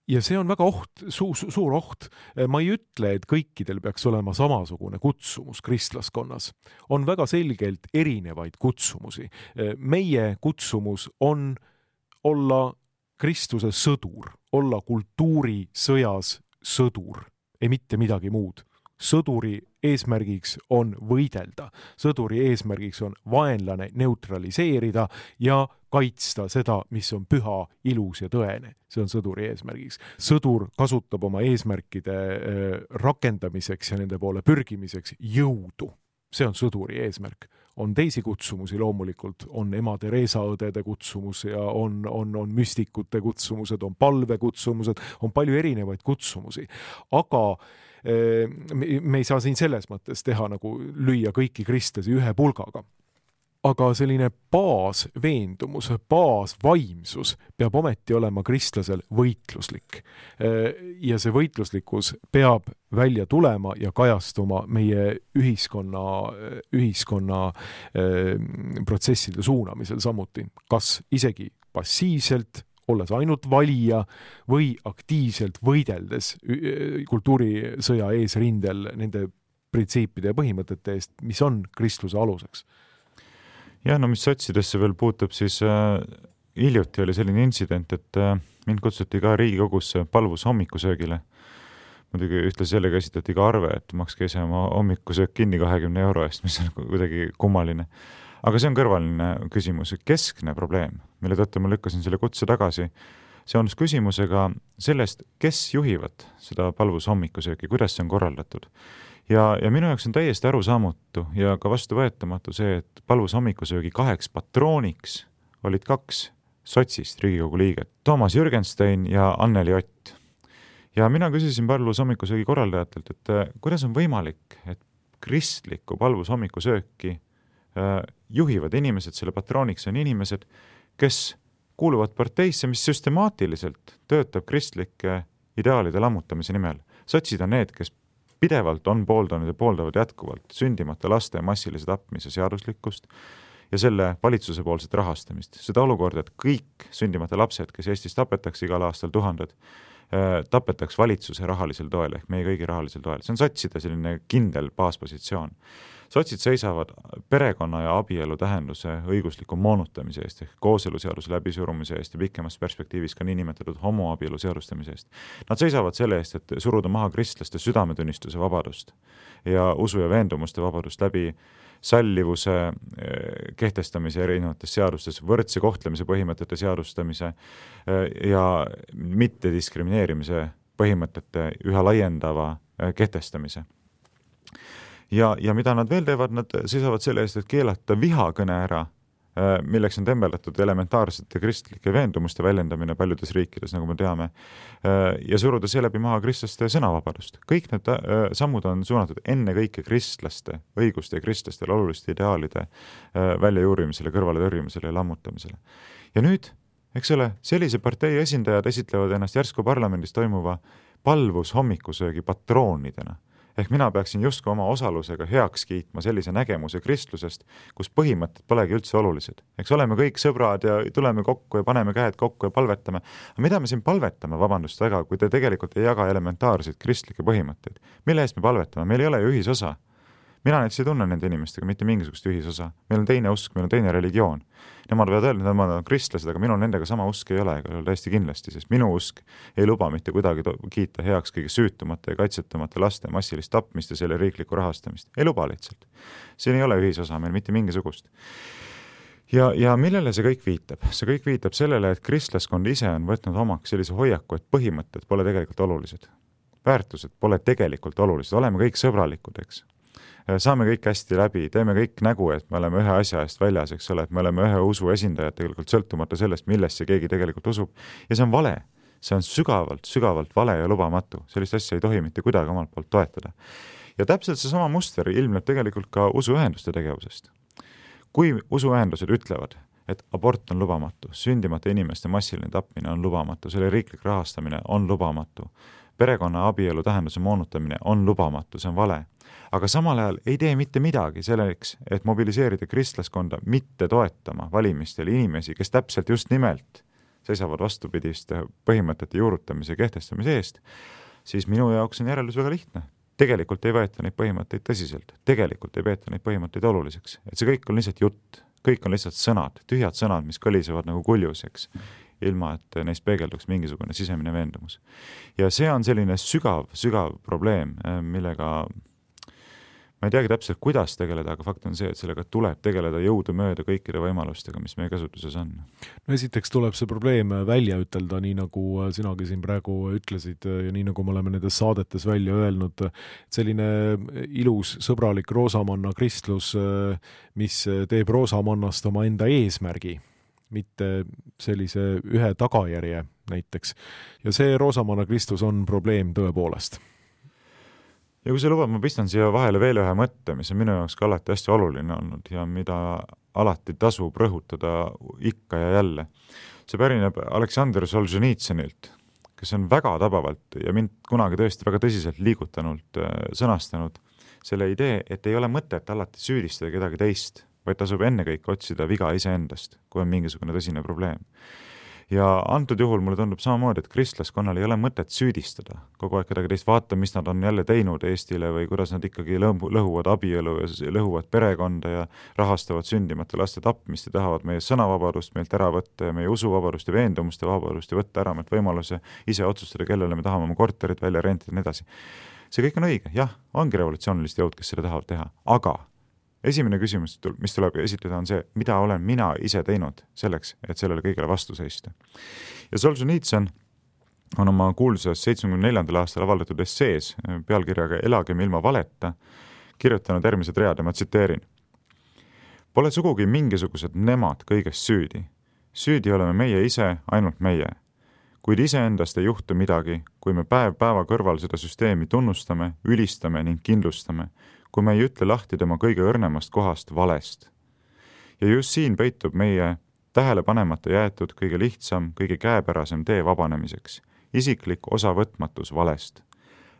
Ja see on väga suur oht. Ma ei ütle, et kõikidel peaks olema samasugune kutsumus kristlaskonnas. On väga selgelt erinevaid kutsumusi. Meie kutsumus on olla Kristuse sõdur, olla kultuurisõjas sõdur, ei mitte midagi muud. Sõduri eesmärgiks on võidelda. Sõduri eesmärgiks on vaenlane neutraliseerida ja kaitsta seda, mis on püha, ilus ja tõene. See on sõduri eesmärgiks. Sõdur kasutab oma eesmärkide rakendamiseks ja nende poole pürgimiseks jõudu. See on sõduri eesmärk. On teisi kutsumusi loomulikult, on ema Teresa õdede kutsumus ja on müstikute kutsumused, on palvekutsumused, on palju erinevaid kutsumusi. Aga me ei saa siin selles mõttes teha nagu lüüa kõiki kristlasi ühe pulgaga. Aga selline baasveendumus, baasvaimsus peab ometi olema kristlasel võitluslik. Ja see võitluslikkus peab välja tulema ja kajastuma meie ühiskonna protsesside suunamisel samuti. Kas isegi passiivselt, olles ainult valija või aktiivselt võideldes kultuurisõja eesrindel nende printsiipide ja põhimõtete eest, mis on kristluse aluseks. Ja, no mis sotsidesse veel puutub, siis hiljuti oli selline intsident, et mind kutsuti ka Riigikogusse palvus hommikusöögile. Muidugi ühtlasi sellega esitati ka arve, et makske ise oma hommikusöök kinni 20 euro eest, mis on kuidagi kummaline. Aga see on kõrvaline küsimus, keskne probleem, mille tõttu ma lükkasin selle kutse tagasi. See on küsimusega sellest, kes juhivad seda palvus hommikusööki, kuidas see on korraldatud. Ja minu jaoks on täiesti arusaamatu ja ka vastuvõetamatu see, et palvus hommikusöögi 2 patrooniks olid 2 sotsist Riigikogu liiget, Toomas Jürgenstein ja Anneli Ott. Ja mina küsisin palvus hommikusöögi korraldajatelt, et kuidas on võimalik, et kristlikku palvus hommikusööki juhivad inimesed, selle patrooniks on inimesed, kes kuuluvad parteisse, mis süstemaatiliselt töötab kristlike ideaalide lammutamise nimel. Sotsid on need, kes pidevalt on pooldanud ja pooldavad jätkuvalt sündimata laste massilise tapmise seaduslikkust ja selle valitsuse poolset rahastamist. Seda olukorda, et kõik sündimata lapsed, kes Eestis tapetakse igal aastal 1000, tapetaks valitsuse rahalisel toel ehk meie kõigi rahalisel toel. See on sotside selline kindel baaspositsioon. Sotsid seisavad perekonna ja abielu tähenduse õigusliku moonutamise eest ehk kooseluseaduse läbisurumise eest ja pikemas perspektiivis ka niinimetatud homoabielu seadustamise eest. Nad seisavad selle eest, et suruda maha kristlaste südametunnistuse vabadust ja usu ja veendumuste vabadust läbi sallivuse kehtestamise erinevates seadustes, võrdse kohtlemise põhimõtete seadustamise ja mittediskrimineerimise põhimõtete üha laiendava kehtestamise. Ja mida nad veel teevad, nad seisavad selle eest, et keelata vihakõne ära, milleks on tembeldatud elementaarsete kristlike veendumuste väljendamine paljudes riikides, nagu me teame, ja suruda seeläbi maha kristlaste sõnavabadust. Kõik need sammud on suunatud ennekõike kristlaste õiguste ja kristlastele oluliste ideaalide väljajuurimisele, kõrvale tõrjumisele ja lammutamisele. Ja nüüd, eks ole, sellise partei esindajad esitlevad ennast järsku parlamendis toimuva palvus hommikusöögi patroonidena. Ehk mina peaksin justkui oma osalusega heaks kiitma sellise nägemuse kristlusest, kus põhimõtted polegi üldse olulised. Eks oleme kõik sõbrad ja tuleme kokku ja paneme käed kokku ja palvetame. Aga mida me siin palvetame, vabandust väga, kui te tegelikult ei jaga elementaarseid kristlikke põhimõtteid? Mille eest me palvetame? Meil ei ole ju ühisosa. Mina näiteks ei tunne nende inimestega mitte mingisugust ühisosa. Meil on teine usk, meil on teine religioon. Nemad võivad öelda, et nemad on kristlased, aga minul nendega sama usk ei ole, ega täiesti kindlasti, sest minu usk ei luba mitte kuidagi kiita heaks kõige süütumate ja kaitsetumate laste massilist tapmist ja selle riiklikku rahastamist. Ei luba lihtsalt. Siin ei ole ühisosa meil mitte mingisugust. Ja millele see kõik viitab? See kõik viitab sellele, et kristlaskond ise on võtnud omaks sellise hoiaku, et põhimõtted pole tegelikult olulised. Väärtused pole tegelikult olulised. Oleme kõik sõbralikud, eks. Saame kõik hästi läbi, teeme kõik nägu, et me oleme ühe asja eest väljas, eks ole, et me oleme ühe usu esindajad tegelikult sõltumata sellest, millesse keegi tegelikult usub. Ja see on vale. See on sügavalt vale ja lubamatu. Sellist asja ei tohi mitte kuidagi omalt poolt toetada. Ja täpselt see sama muster ilmneb tegelikult ka usuühenduste tegevusest. Kui usuühendused ütlevad, et abort on lubamatu, sündimata inimeste massiline tapmine on lubamatu, selle riiklik rahastamine on lubamatu, perekonna abielu tähenduse moonutamine on lubamatu, see on vale. Aga samal ajal ei tee mitte midagi selleks, et mobiliseerida kristlaskonda mitte toetama valimistel inimesi, kes täpselt just nimelt seisavad vastupidiste põhimõtete juurutamise ja kehtestamise eest, siis minu jaoks on järeldus väga lihtne. Tegelikult ei võeta neid põhimõtteid tõsiselt. Tegelikult ei peeta neid põhimõtteid oluliseks. Et see kõik on lihtsalt jutt. Kõik on lihtsalt sõnad, tühjad sõnad, mis kõlisevad nagu kuljuseks, ilma et neist peegelduks mingisugune sisemine veendumus. Ja see on selline sügav probleem, millega ma ei teagi täpselt, kuidas tegeleda, aga fakt on see, et sellega tuleb tegeleda jõudumööda kõikide võimalustega, mis meie kasutuses on. No esiteks tuleb see probleem välja ütelda, nii nagu sinagi siin praegu ütlesid ja nii nagu me oleme nendes saadetes välja öelnud, selline ilus, sõbralik roosamanna kristlus, mis teeb roosamannast oma enda eesmärgi, mitte sellise ühe tagajärje näiteks. Ja see roosamanna kristlus on probleem tõepoolest. Ja kui see lubab, ma pistan siia vahele veel ühe mõtte, mis on minu jaoks ka alati hästi oluline olnud ja mida alati tasub rõhutada ikka ja jälle. See pärineb Aleksandr Solženitsõnilt, kes on väga tabavalt ja mind kunagi tõesti väga tõsiselt liigutanud sõnastanud selle idee, et ei ole mõtet alati süüdistada kedagi teist, vaid tasub ennekõike otsida viga iseendast, kui on mingisugune tõsine probleem. Ja antud juhul mulle tundub samamoodi, et kristlaskonnal ei ole mõtet süüdistada kogu aeg kedagi teist, vaata, mis nad on jälle teinud Eestile või kuidas nad ikkagi lõhuvad abielu ja lõhuvad perekonda ja rahastavad sündimata laste tapmist ja tahavad meie sõnavabadust meilt ära võtta ja meie usuvabadust ja veendumuste vabadust ja võtta ära meilt võimaluse ise otsustada, kellele me tahame oma korterit välja rentida ja nii edasi. See kõik on õige, jah, ongi revolutsioonilist jõud, kes seda tahavad teha, aga esimene küsimus, mis tuleb esitleda, on see, mida olen mina ise teinud selleks, et sellele kõigele vastu seista. Ja Solženitsõn on oma kuulsas 74. aastal avaldatud essees pealkirjaga Elagem ilma valeta kirjutanud järgmised read ja ma tsiteerin. Pole sugugi mingisugused nemad kõigest süüdi. Süüdi oleme meie ise, ainult meie. Kuid iseendast ei juhtu midagi, kui me päev päeva kõrval seda süsteemi tunnustame, ülistame ning kindlustame, kui me ei ütle lahti tema kõige õrnemast kohast valest. Ja just siin peitub meie tähele panemata jäetud kõige lihtsam, kõige käepärasem tee vabanemiseks, isiklik osavõtmatus valest.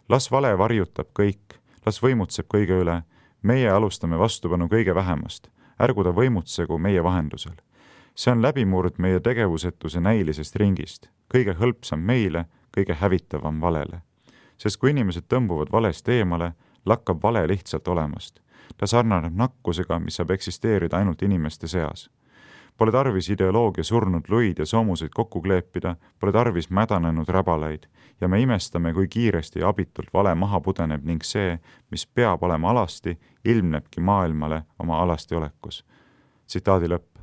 Las vale varjutab kõik, las võimutseb kõige üle, meie alustame vastupanu kõige vähemast, ärgu ta võimutsegu meie vahendusel. See on läbimurd meie tegevusetuse näilisest ringist, kõige hõlpsam meile, kõige hävitavam valele. Sest kui inimesed tõmbuvad valest eemale, lakkab vale lihtsalt olemast. Ta sarnaneb nakkusega, mis saab eksisteerida ainult inimeste seas. Pole tarvis ideoloogia surnud luid ja soomuseid kokku kleepida, pole tarvis mädanenud räbalaid ja me imestame, kui kiiresti ja abitult vale maha pudeneb ning see, mis peab olema alasti, ilmnebki maailmale oma alasti olekus. Tsitaadi lõpp.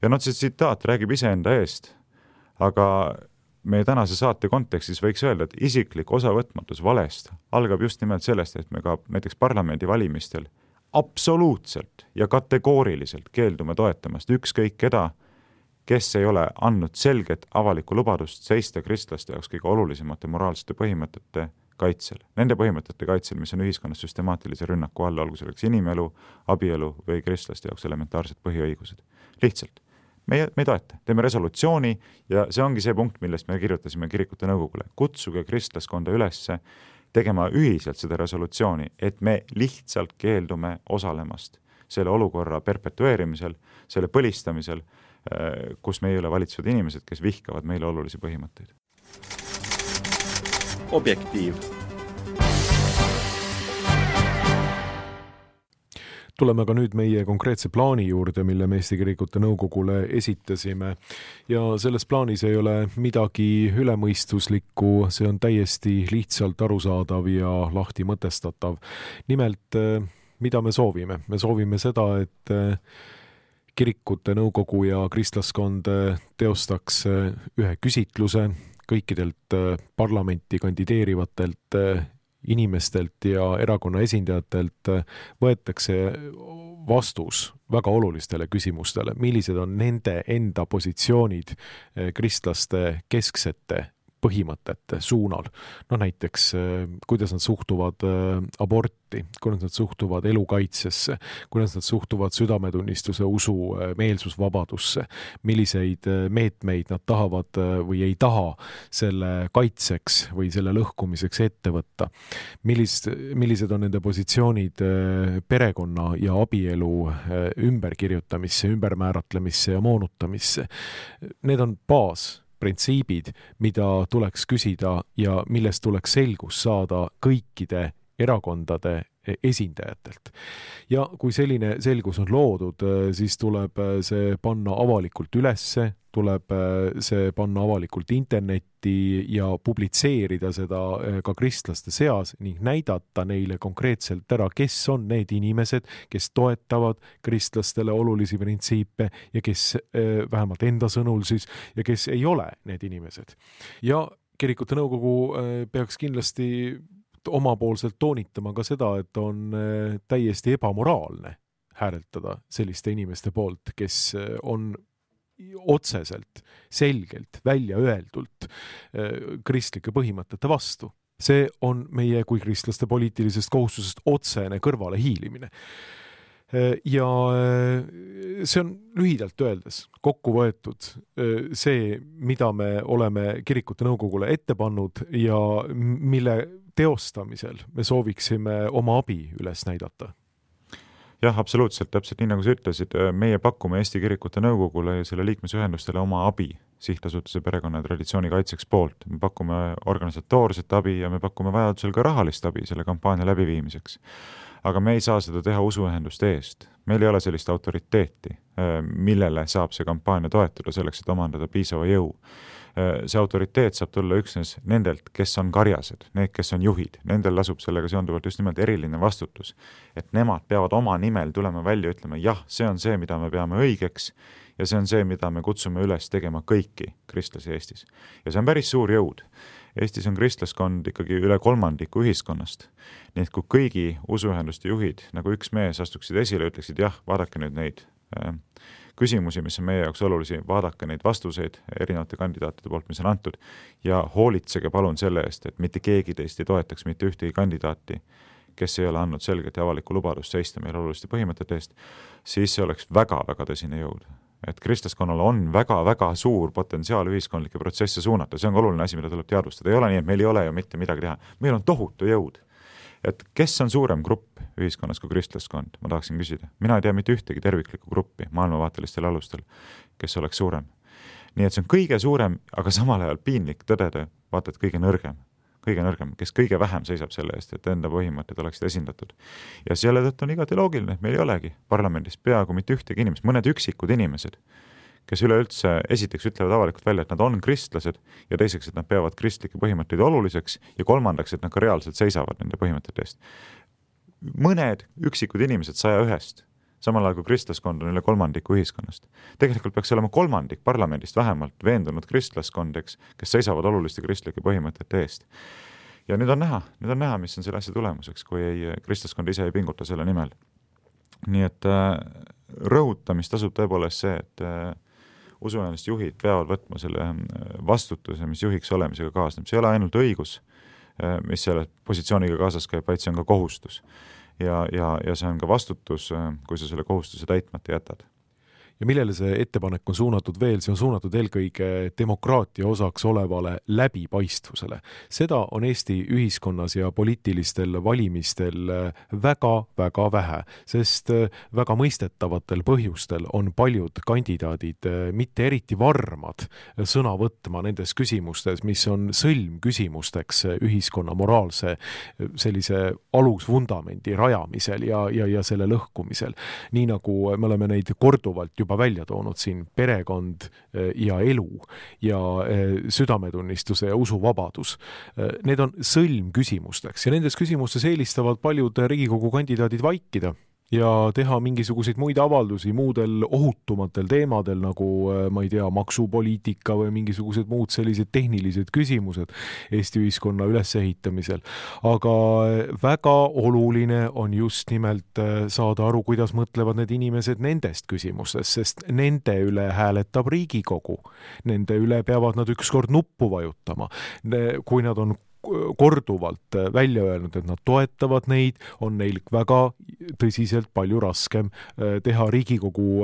Ja see tsitaat räägib iseenda eest, aga meie tänase saate kontekstis võiks öelda, et isiklik osavõtmatus valest algab just nimelt sellest, et me ka näiteks parlamendi valimistel absoluutselt ja kategooriliselt keeldume toetamast ükskõik keda, kes ei ole andnud selget avalikku lubadust seista kristlaste jaoks kõige olulisemate moraalsete põhimõtete kaitsel. Nende põhimõtete kaitsel, mis on ühiskonnas süstemaatilise rünnaku all, olgu selleks inimelu, abielu või kristlaste jaoks elementaarsed põhiõigused. Lihtsalt. Me ei toeta. Teeme resolutsiooni ja see ongi see punkt, millest me kirjutasime kirikute nõukogule. Kutsuge kristlaskonda ülesse tegema ühiselt seda resolutsiooni, et me lihtsalt keeldume osalemast selle olukorra perpetueerimisel, selle põlistamisel, kus meie üle valitsevad inimesed, kes vihkavad meile olulisi põhimõtteid. Objektiiv. Tuleme ka nüüd meie konkreetse plaani juurde, mille me Eesti Kirikute Nõukogule esitasime. Ja selles plaanis ei ole midagi ülemõistuslikku, see on täiesti lihtsalt arusaadav ja lahti mõtestatav. Nimelt, mida me soovime? Me soovime seda, et Kirikute Nõukogu ja kristlaskond teostaks ühe küsitluse kõikidelt parlamenti kandideerivatelt inimestelt ja erakonna esindajatelt võetakse vastus väga olulistele küsimustele, millised on nende enda positsioonid kristlaste kesksete põhimõtete suunal. No näiteks, kuidas nad suhtuvad aborti, kuidas nad suhtuvad elukaitsesse, kuidas nad suhtuvad südametunnistuse, usu, meelsusvabadusse, milliseid meetmeid nad tahavad või ei taha selle kaitseks või selle lõhkumiseks ette võtta. Millised on nende positsioonid perekonna ja abielu ümberkirjutamisse, ümbermääratlemisse ja moonutamisse. Need on printsiibid, mida tuleks küsida ja millest tuleks selgus saada kõikide erakondade esindajatelt. Ja kui selline selgus on loodud, siis tuleb see panna avalikult ülesse, tuleb see panna avalikult internetti ja publitseerida seda ka kristlaste seas ning näidata neile konkreetselt ära, kes on need inimesed, kes toetavad kristlastele olulisi printsiipe ja kes vähemalt enda sõnul siis ja kes ei ole need inimesed. Ja Kirikute Nõukogu peaks kindlasti omapoolselt toonitama ka seda, et on täiesti ebamoraalne hääletada selliste inimeste poolt, kes on otseselt, selgelt, välja öeldult kristlike põhimõtete vastu. See on meie kui kristlaste poliitilisest kohustusest otsene kõrvale hiilimine. Ja see on lühidalt öeldes kokku võetud see, mida me oleme Kirikute Nõukogule ette pannud ja mille teostamisel me sooviksime oma abi üles näidata. Jah, absoluutselt, täpselt nii nagu sa ütlesid, meie pakume Eesti Kirikute Nõukogule ja selle liikmesühendustele oma abi sihtasutuse perekonna ja traditsiooni kaitseks poolt. Me pakume organisatoorset abi ja me pakume vajadusel ka rahalist abi selle kampaania läbiviimiseks. Aga me ei saa seda teha usuühenduste eest. Meil ei ole sellist autoriteeti, millele saab see kampaania toetuda selleks, et omandada piisava jõu. See autoriteet saab tulla üksnes nendelt, kes on karjased, need, kes on juhid. Nendel lasub sellega seonduvalt just nimelt eriline vastutus, et nemad peavad oma nimel tulema välja ja ütlema, jah, see on see, mida me peame õigeks ja see on see, mida me kutsume üles tegema kõiki kristlasi Eestis. Ja see on päris suur jõud. Eestis on kristlaskond ikkagi üle 1/3 ühiskonnast. Nii et kui kõigi usuühenduste juhid, nagu üks mees astuksid esile, ütleksid, jah, vaadake nüüd neid küsimusi, mis on meie jaoks olulisi, vaadake neid vastuseid erinevate kandidaatide poolt, mis on antud ja hoolitsege palun selle eest, et mitte keegi teist ei toetaks mitte ühtegi kandidaati, kes ei ole andnud selget ja avalikku lubadust seista meil oluliste põhimõtete eest, siis see oleks väga-väga tõsine jõud. Et kristlaskonnal on väga-väga suur potentsiaal ühiskondlikke protsesse suunata. See on oluline asi, mida tuleb teadvustada. Ei ole nii, et meil ei ole ju mitte midagi teha. Meil on tohutu jõud. Et kes on suurem grupp ühiskonnas kui kristlaskond? Ma tahaksin küsida. Mina ei tea mitte ühtegi terviklikku gruppi maailmavaatelistel alustel, kes oleks suurem. Nii et see on kõige suurem, aga samal ajal piinlik tõdeda, vaata, et kõige nõrgem. kõige nõrgem, kes kõige vähem seisab selle eest, et enda põhimõtted oleksid esindatud. Ja selle tõttu on igati loogiline, et meil ei olegi parlamendis peaaegu mitte ühtegi inimest, mõned üksikud inimesed, kes üleüldse esiteks ütlevad avalikult välja, et nad on kristlased ja teiseks, et nad peavad kristlikke põhimõtteid oluliseks ja kolmandaks, et nad ka reaalselt seisavad nende põhimõtete eest. Mõned üksikud inimesed 101-st, samal ajal kui kristlaskond on üle kolmandiku ühiskonnast. Tegelikult peaks olema kolmandik parlamendist vähemalt veendunud kristlaskondeks, kes seisavad oluliste kristlike põhimõtete eest. Ja nüüd on näha, mis on selle asja tulemuseks, kui kristlaskond ise ei pinguta selle nimel. Nii et rõhutamist tasub tõepoolest see, et usuühenduste juhid peavad võtma selle vastutuse, mis juhiks olemisega kaasneb. See ei ole ainult õigus, mis selle positsiooniga kaasas käib, vaid see on ka kohustus. Ja see on ka vastutus, kui sa selle kohustuse täitmata jätad. Ja millele see ettepanek on suunatud veel? See on suunatud eelkõige demokraatia osaks olevale läbipaistvusele. Seda on Eesti ühiskonnas ja poliitilistel valimistel väga vähe, sest väga mõistetavatel põhjustel on paljud kandidaadid mitte eriti varmad sõna võtma nendes küsimustes, mis on sõlmküsimusteks ühiskonna moraalse sellise alusvundamendi rajamisel ja selle lõhkumisel. Nii nagu me oleme neid korduvalt juba välja toonud siin perekond ja elu ja südametunnistuse ja usuvabadus. Need on sõlmküsimusteks ja nendes küsimustes eelistavad paljud Riigikogu kandidaadid vaikida ja teha mingisuguseid muid avaldusi muudel ohutumatel teemadel, nagu ma ei tea, maksupoliitika või mingisugused muud sellised tehnilised küsimused Eesti ühiskonna ülesehitamisel. Aga väga oluline on just nimelt saada aru, kuidas mõtlevad need inimesed nendest küsimustest, sest nende üle hääletab Riigikogu. Nende üle peavad nad ükskord nuppu vajutama. Kui nad on korduvalt välja öelnud, et nad toetavad neid, on neil väga tõsiselt palju raskem teha Riigikogu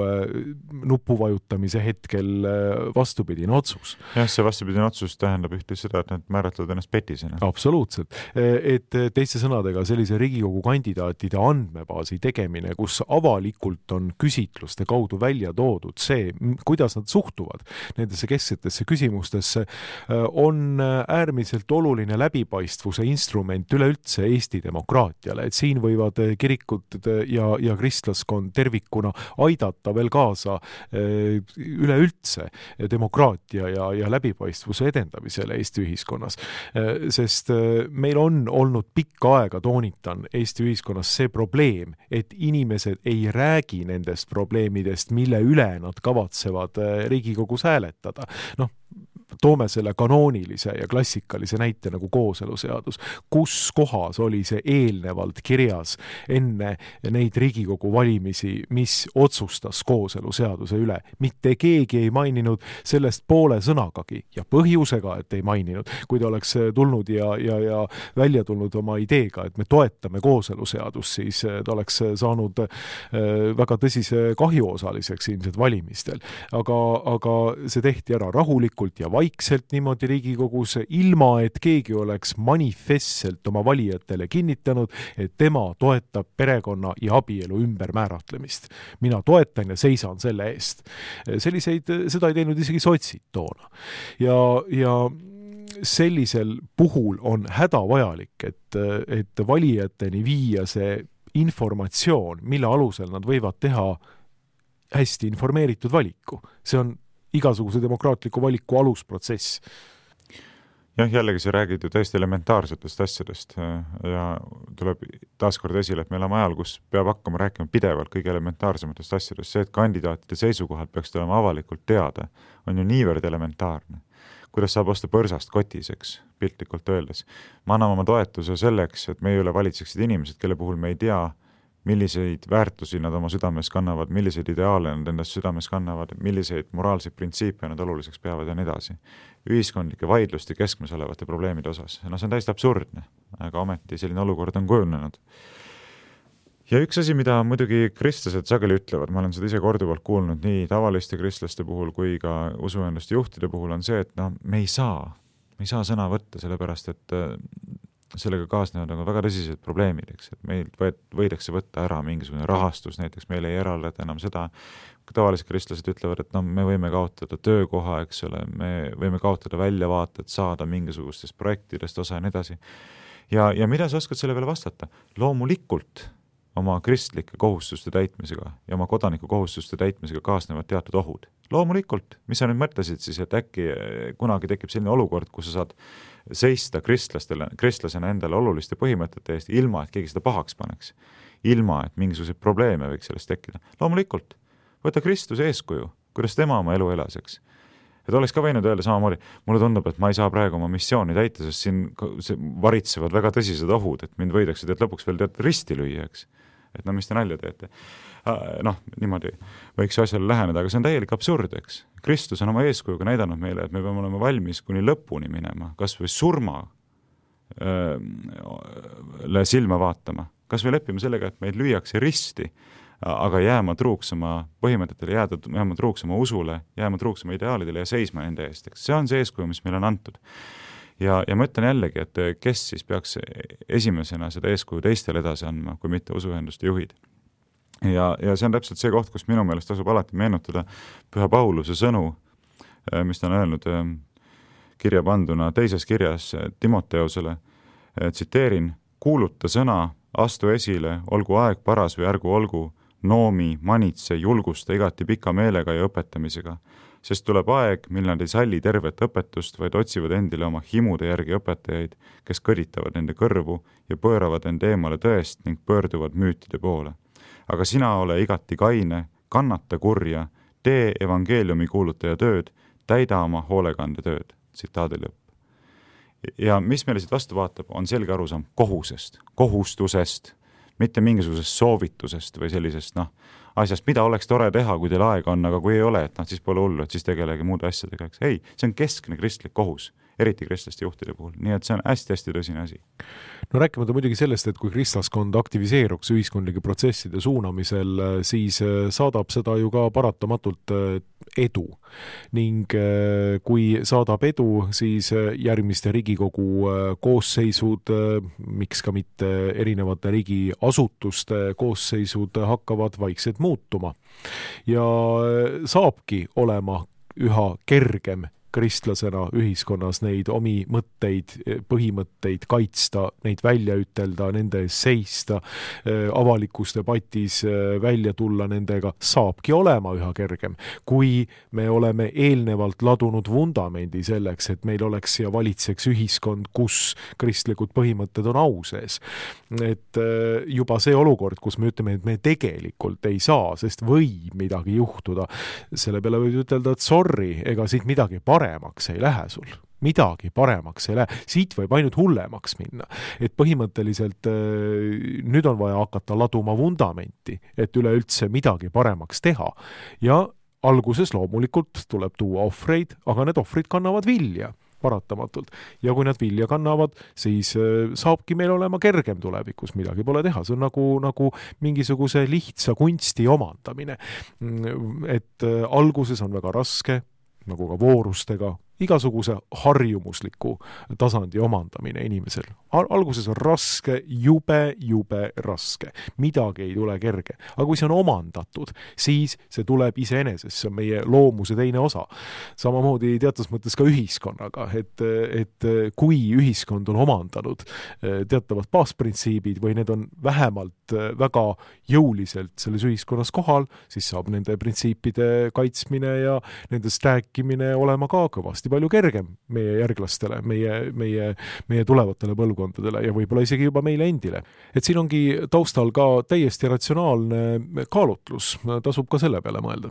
nupuvajutamise hetkel vastupidine otsus. Jah, see vastupidine otsus tähendab ühte seda, et nad määratlevad ennast petisena. Absoluutselt. Et teiste sõnadega sellise Riigikogu kandidaatide andmebaasi tegemine, kus avalikult on küsitluste kaudu välja toodud see, kuidas nad suhtuvad nendesse kesksetesse küsimustesse, on äärmiselt oluline läbipaistvuse instrument üleüldse Eesti demokraatiale, et siin võivad kirikud ja kristlaskond tervikuna aidata veel kaasa üleüldse demokraatia ja läbipaistvuse edendamisele Eesti ühiskonnas. Sest meil on olnud pikka aega, toonitan, Eesti ühiskonnas see probleem, et inimesed ei räägi nendest probleemidest, mille üle nad kavatsevad Riigikogus hääletada. Toome selle kanoonilise ja klassikalise näite nagu kooseluseadus. Kus kohas oli see eelnevalt kirjas enne neid Riigikogu valimisi, mis otsustas kooseluseaduse üle? Mitte keegi ei maininud sellest poole sõnagagi ja põhjusega, et ei maininud. Kui ta oleks tulnud ja välja tulnud oma ideega, et me toetame kooseluseadust, siis ta oleks saanud väga tõsise kahjuosaliseks ilmselt valimistel. Aga see tehti ära rahulikult ja vaikselt niimoodi Riigikogus, ilma et keegi oleks manifestselt oma valijatele kinnitanud, et tema toetab perekonna ja abielu ümbermääratlemist. Mina toetan ja seisan selle eest. Seda ei teinud isegi sotsid toona. Ja sellisel puhul on hädavajalik, et valijateni viia see informatsioon, mille alusel nad võivad teha hästi informeeritud valiku. See on igasuguse demokraatliku valiku alusprotsess. Jah, jällegi sa räägid ju täiesti elementaarsetest asjadest ja tuleb taaskord esile, et me oleme ajal, kus peab hakkama rääkima pidevalt kõige elementaarsematest asjadest. See, et kandidaatide seisukohad peaks olema avalikult teada, on ju niivõrd elementaarne. Kuidas saab osta põrsast kotiseks, piltlikult öeldes. Me anname oma toetuse selleks, et meie üle valitseksid inimesed, kelle puhul me ei tea, milliseid väärtusi nad oma südames kannavad, milliseid ideaale nad endast südames kannavad, milliseid moraalseid printsiipe nad oluliseks peavad ja nii edasi. Ühiskondlike vaidluste keskmes olevate probleemide osas. See on täiesti absurdne, aga ometi selline olukord on kujunenud. Ja üks asi, mida muidugi kristlased sageli ütlevad, ma olen seda ise korduvalt kuulnud nii tavaliste kristlaste puhul kui ka usuühenduste juhtide puhul, on see, et me ei saa sõna võtta, sellepärast et sellega kaasnevad nagu väga tõsised probleemid, eks, et meil võidakse võtta ära mingisugune rahastus, näiteks meil ei eraldata enam seda, tavalised kristlased ütlevad, et no me võime kaotada töökoha, eks ole, me võime kaotada väljavaated, saada mingisugustest projektidest osa ja nii edasi. Ja mida sa oskad selle peale vastata? Loomulikult oma kristlike kohustuste täitmisega ja oma kodaniku kohustuste täitmisega kaasnevad teatud ohud. Loomulikult, mis sa nüüd mõtlesid siis, et äkki kunagi tekib selline olukord, kus sa saad seista kristlasena endale oluliste põhimõtete eest, ilma et keegi seda pahaks paneks, ilma et mingisuguseid probleeme võiks sellest tekkida. Loomulikult, võta Kristuse eeskuju, kuidas tema oma elu elas, eks. Et oleks ka võinud öelda samamoodi, mulle tundub, et ma ei saa praegu oma missiooni täita, sest siin varitsevad väga tõsised ohud, et mind võidakse lõpuks veel risti lüüa, eks. Et no mis te nalja teete. Noh, niimoodi võiks asjale läheneda, aga see on täielik absurd, eks. Kristus on oma eeskujuga näidanud meile, et me peame olema valmis kuni lõpuni minema, kas või surma silma vaatama, kas või leppima sellega, et meid lüüakse risti, aga jääma truuks oma põhimõtetele, jääma truuks oma usule, jääma truuks oma ideaalidele ja seisma nende eest. See on see eeskuju, mis meile on antud. Ja ma ütlen jällegi, et kes siis peaks esimesena seda eeskuju teistele edasi andma, kui mitte usuühenduste juhid. Ja see on täpselt see koht, kus minu meelest tasub alati meenutada Püha Pauluse sõnu, mis ta on öelnud kirja panduna teises kirjas Timoteusele, tsiteerin, kuuluta sõna, astu esile, olgu aeg paras või ärgu olgu, noomi, manitse, julgusta igati pika meelega ja õpetamisega, sest tuleb aeg, mil nad ei salli tervet õpetust, vaid otsivad endile oma himude järgi õpetajaid, kes kõditavad nende kõrvu ja pööravad end eemale tõest ning pöörduvad müütide poole. Aga sina ole igati kaine, kannata kurja, tee evangeeliumi kuulutaja tööd, täida oma hoolekande tööd. Tsitaadi lõpp. Ja mis meile siit vastu vaatab, on selge arusaam kohustusest, mitte mingisugusest soovitusest või sellisest asjast, mida oleks tore teha, kui teil aega on, aga kui ei ole, et siis pole hullu, et siis tegelege muude asjadega. Ei, see on keskne kristlik kohus, eriti kristlaste juhtide puhul. Nii et see on hästi-hästi tõsine asi. No rääkimata muidugi sellest, et kui kristlaskond aktiviseeruks ühiskondlike protsesside suunamisel, siis saadab seda ju ka paratamatult edu. Ning kui saadab edu, siis järgmiste Riigikogu koosseisud, miks ka mitte erinevate riigiasutuste koosseisud hakkavad vaikselt muutuma. Ja saabki olema üha kergem kristlasena ühiskonnas neid omi mõtteid, põhimõtteid kaitsta, neid välja ütelda, nende ees seista, avalikus debatis välja tulla nendega, saabki olema üha kergem. Kui me oleme eelnevalt ladunud vundamendi selleks, et meil oleks ja valitseks ühiskond, kus kristlikud põhimõtted on au sees. Et juba see olukord, kus me ütleme, et me tegelikult ei saa, sest võib midagi juhtuda, selle peale võib ütelda, et sorry, ega siit midagi paremaks ei lähe sul. Midagi paremaks ei lähe. Siit võib ainult hullemaks minna. Et põhimõtteliselt nüüd on vaja hakata laduma vundamenti, et üleüldse midagi paremaks teha. Ja alguses loomulikult tuleb tuua ohvreid, aga need ohvrid kannavad vilja paratamatult. Ja kui nad vilja kannavad, siis saabki meil olema kergem tulevikus, midagi pole teha. See on nagu mingisuguse lihtsa kunsti omandamine. Et alguses on väga raske, nagu ka voorustega, igasuguse harjumusliku tasandi omandamine inimesel. Alguses on raske, jube raske. Midagi ei tule kerge. Aga kui see on omandatud, siis see tuleb iseenesest, see on meie loomuse teine osa. Samamoodi teatud mõttes ka ühiskonnaga, et kui ühiskond on omandanud teatavad baasprintsiibid või need on vähemalt väga jõuliselt selles ühiskonnas kohal, siis saab nende printsiipide kaitsmine ja nendest rääkimine olema ka kõvasti palju kergem meie järglastele, meie tulevatele põlvkondadele ja võib-olla isegi juba meile endile. Et siin ongi taustal ka täiesti ratsionaalne kaalutlus, tasub ka selle peale mõelda.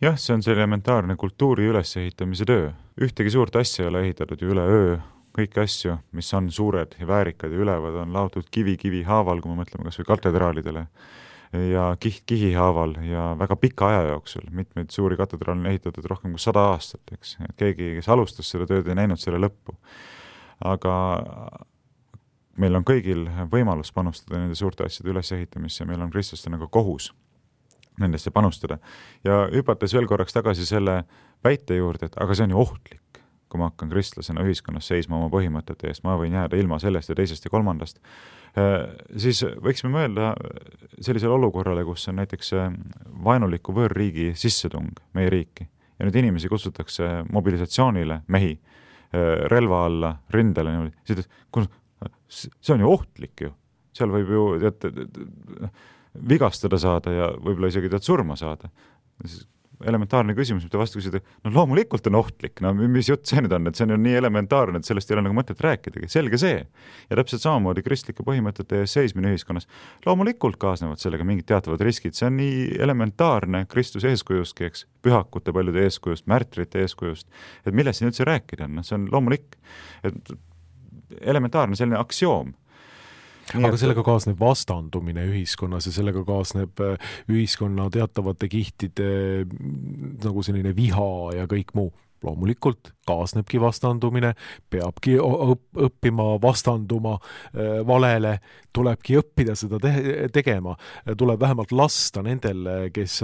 Jah, see on see elementaarne kultuuri ülesehitamise töö. Ühtegi suurt asja ei ole ehitatud ju üle öö. Kõik asju, mis on suured ja väärikad ja ülevad, on laotud kivi haaval, kui me mõtleme kas või katedraalidele ja kihi haaval ja väga pika aja jooksul. Mitmeid suuri katedraale on ehitatud rohkem kui 100 aastat, eks. Keegi, kes alustas seda tööd, ei näinud selle lõppu. Aga meil on kõigil võimalus panustada nende suurte asjade ülesehitamisse ja meil on kristlastena ka kohus nendesse panustada. Ja hüpates veel korraks tagasi selle väite juurde, et aga see on ju ohtlik. kui ma hakkan kristlasena ühiskonnas seisma oma põhimõtete eest, ma võin jääda ilma sellest ja teisest ja kolmandast, siis võiksime mõelda sellisele olukorrale, kus on näiteks vaenuliku võõrriigi sissetung meie riiki ja nüüd inimesi kutsutakse mobilisatsioonile, mehi, relva alla, rindele, see on ju ohtlik ju. Seal võib ju vigastada saada ja võib-olla isegi surma saada. Elementaarne küsimus, mida vastu küsida, no loomulikult on ohtlik, no mis jutt see nüüd on, et see on ju nii elementaarne, et sellest ei ole nagu mõtet rääkidagi, selge see. Ja täpselt samamoodi kristlike põhimõtete ees seismine ühiskonnas. Loomulikult kaasnevad sellega mingid teatavad riskid, see on nii elementaarne Kristuse eeskujustki, eks, pühakute paljude eeskujust, märtrite eeskujust, et millest siin üldse rääkida on, see on loomulik, et elementaarne selline aktsioom. Aga sellega kaasneb vastandumine ühiskonnas ja sellega kaasneb ühiskonna teatavate kihtide nagu selline viha ja kõik muu. Loomulikult kaasnebki vastandumine, peabki õppima vastanduma valele, tulebki õppida seda tegema, tuleb vähemalt lasta nendel, kes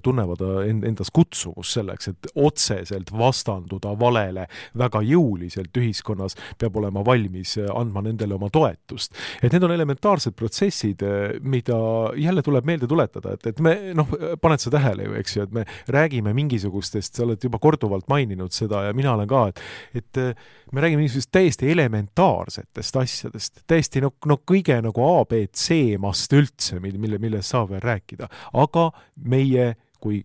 tunnevad endas kutsuvus selleks, et otseselt vastanduda valele väga jõuliselt ühiskonnas, peab olema valmis andma nendele oma toetust. Et need on elementaarsed protsessid, mida jälle tuleb meelde tuletada, et me, paned sa tähele ju, eks ju, et me räägime mingisugustest, sa oled juba korduvalt maininud seda ja mina olen ka, et me räägime mingisugust täiesti elementaarsetest asjadest, täiesti kõige nagu ABC-mast üldse, millest saab veel rääkida, aga meie kui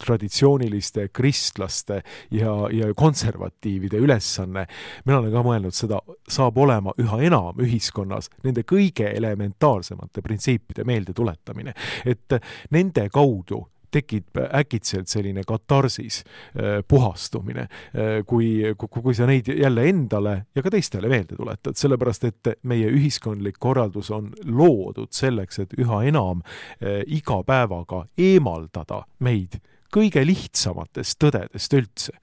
traditsiooniliste kristlaste ja konservatiivide ülesanne, mina olen ka mõelnud seda, saab olema üha enam ühiskonnas nende kõige elementaarsemate printsiipide meelde tuletamine, et nende kaudu tekib äkitselt selline katarsis, puhastumine, kui sa neid jälle endale ja ka teistele meelde tuletad, sellepärast et meie ühiskondlik korraldus on loodud selleks, et üha enam iga päevaga eemaldada meid kõige lihtsamatest tõdedest üldse.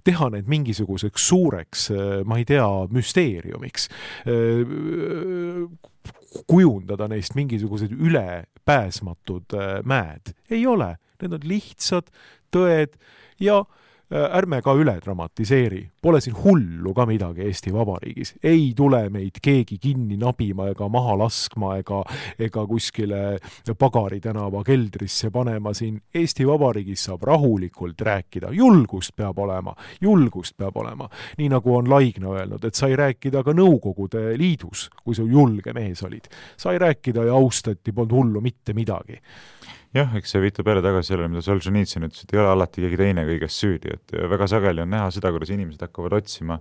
Teha need mingisuguseks suureks, ma ei tea, müsteeriumiks, kujundada neist mingisugused ülepääsmatud mäed. Ei ole, need on lihtsad tõed ja ärme ka üle dramatiseeri. Pole siin hullu ka midagi Eesti Vabariigis. Ei tule meid keegi kinni nabima ega maha laskma ega kuskile Pagari tänava keldrisse panema siin. Eesti Vabariigis saab rahulikult rääkida. Julgust peab olema. Nii nagu on Laigna öelnud, et sai rääkida ka Nõukogude Liidus, kui sa julge mees olid. Sai rääkida ja austati, polnud hullu mitte midagi. Jah, eks see viitab jälle tagasi sellele, mida Solženitsyn ütles, et ei ole alati keegi teine kõigest süüdi, et väga sageli on näha seda, kuidas inimesed hakkavad otsima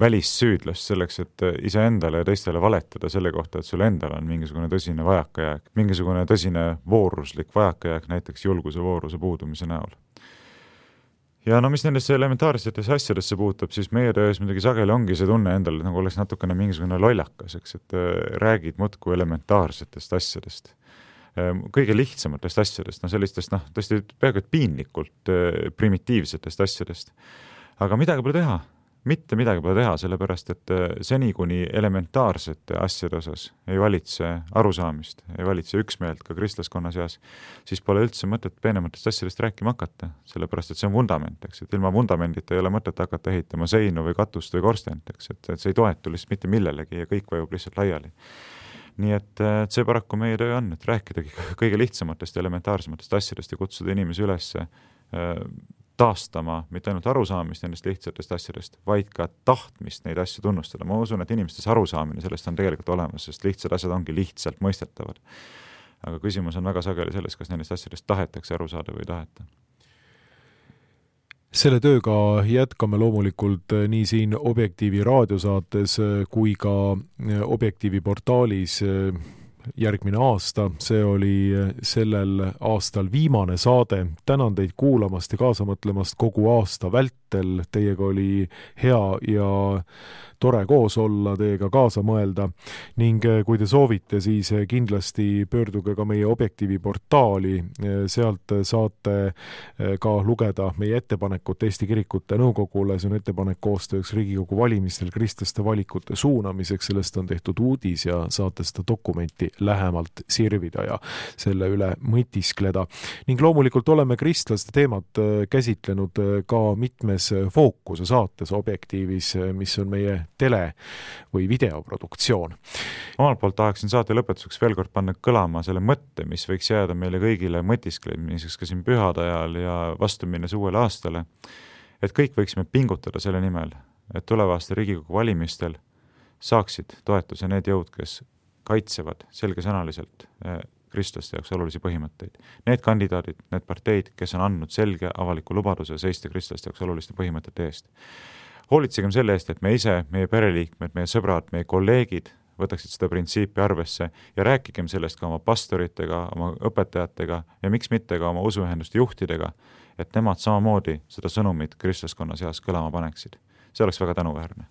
välissüüdlast selleks, et iseendale ja teistele valetada selle kohta, et sul endal on mingisugune tõsine vajakajääk, mingisugune tõsine vooruslik vajakajääk, näiteks julguse vooruse puudumise näol. Ja mis nendesse elementaarsetesse asjadesse puutab, siis meie töös midagi sageli ongi see tunne endale, nagu oleks natukene mingisugune lollakas, eks, et räägid muudkui elementaarsetest asjadest. Kõige lihtsamatest asjadest, sellistest, tõesti peaaegu et piinlikult primitiivsetest asjadest. Aga midagi pole teha, mitte midagi pole teha, sellepärast, et seni kuni elementaarsete asjade osas ei valitse arusaamist, ei valitse üksmeelt ka kristlaskonna seas, siis pole üldse mõtet peenematest asjadest rääkima hakata, sellepärast, et see on vundament, eks, et ilma vundamendita ei ole mõtet hakata ehitama seinu või katust või korstent, eks, et see ei toetu lihtsalt mitte millelegi ja kõik vajub lihtsalt laiali. Nii et see paraku meie töö on, et rääkidagi kõige lihtsamatest ja elementaarsematest asjadest ja kutsuda inimesi üles taastama mitte ainult arusaamist nendest lihtsatest asjadest, vaid ka tahtmist neid asju tunnustada. Ma usun, et inimestes arusaamine sellest on tegelikult olemas, sest lihtsad asjad ongi lihtsalt mõistetavad. Aga küsimus on väga sageli selles, kas nendest asjadest tahetakse aru saada või ei taheta. Selle tööga jätkame loomulikult nii siin Objektiivi raadiosaates kui ka Objektiivi portaalis järgmine aasta. See oli sellel aastal viimane saade. Tänan teid kuulamast ja kaasa mõtlemast kogu aasta vältel. Teiega oli hea ja tore koos olla, teiega kaasa mõelda ning kui te soovite, siis kindlasti pöörduge ka meie Objektiivi portaali, sealt saate ka lugeda meie ettepanekut Eesti Kirikute Nõukogule, see on ettepanek koostööks Riigikogu valimistel kristlaste valikute suunamiseks, sellest on tehtud uudis ja saate seda dokumenti lähemalt sirvida ja selle üle mõtiskleda. Ning loomulikult oleme kristlaste teemat käsitlenud ka mitmes Fookuse saates Objektiivis, mis on meie tele- või videoproduktsioon. Omalt poolt tahaksin saate lõpetuseks veel kord panna kõlama selle mõtte, mis võiks jääda meile kõigile mõtisklemiseks ka siin pühade ajal ja vastu minnes uuele aastale, et kõik võiksime pingutada selle nimel, et tulevaste Riigikogu valimistel saaksid toetuse need jõud, kes kaitsevad selgesõnaliselt kristlaste jaoks olulisi põhimõtteid. Need kandidaadid, need parteid, kes on andnud selge avaliku lubaduse seista kristlaste jaoks oluliste põhimõtete eest. Hoolitsegem selle eest, et me ise, meie pereliikmed, meie sõbrad, meie kolleegid võtaksid seda printsiipi arvesse ja rääkigem sellest ka oma pastoritega, oma õpetajatega ja miks mitte ka oma usuühenduste juhtidega, et nemad samamoodi seda sõnumit kristlaskonna seas kõlama paneksid. See oleks väga tänuväärne.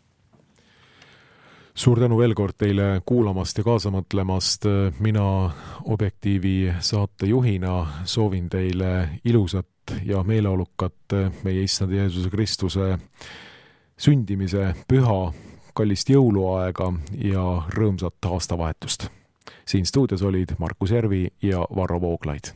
Suur tänu veel kord teile kuulamast ja kaasa mõtlemast. Mina Objektiivi saatejuhina soovin teile ilusat ja meeleolukat meie Issand Jeesuse Kristuse sündimise püha, kallist jõuluaega ja rõõmsat aastavahetust. Siin stuudios olid Markus Järvi ja Varro Vooglaid.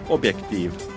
Objektiiv.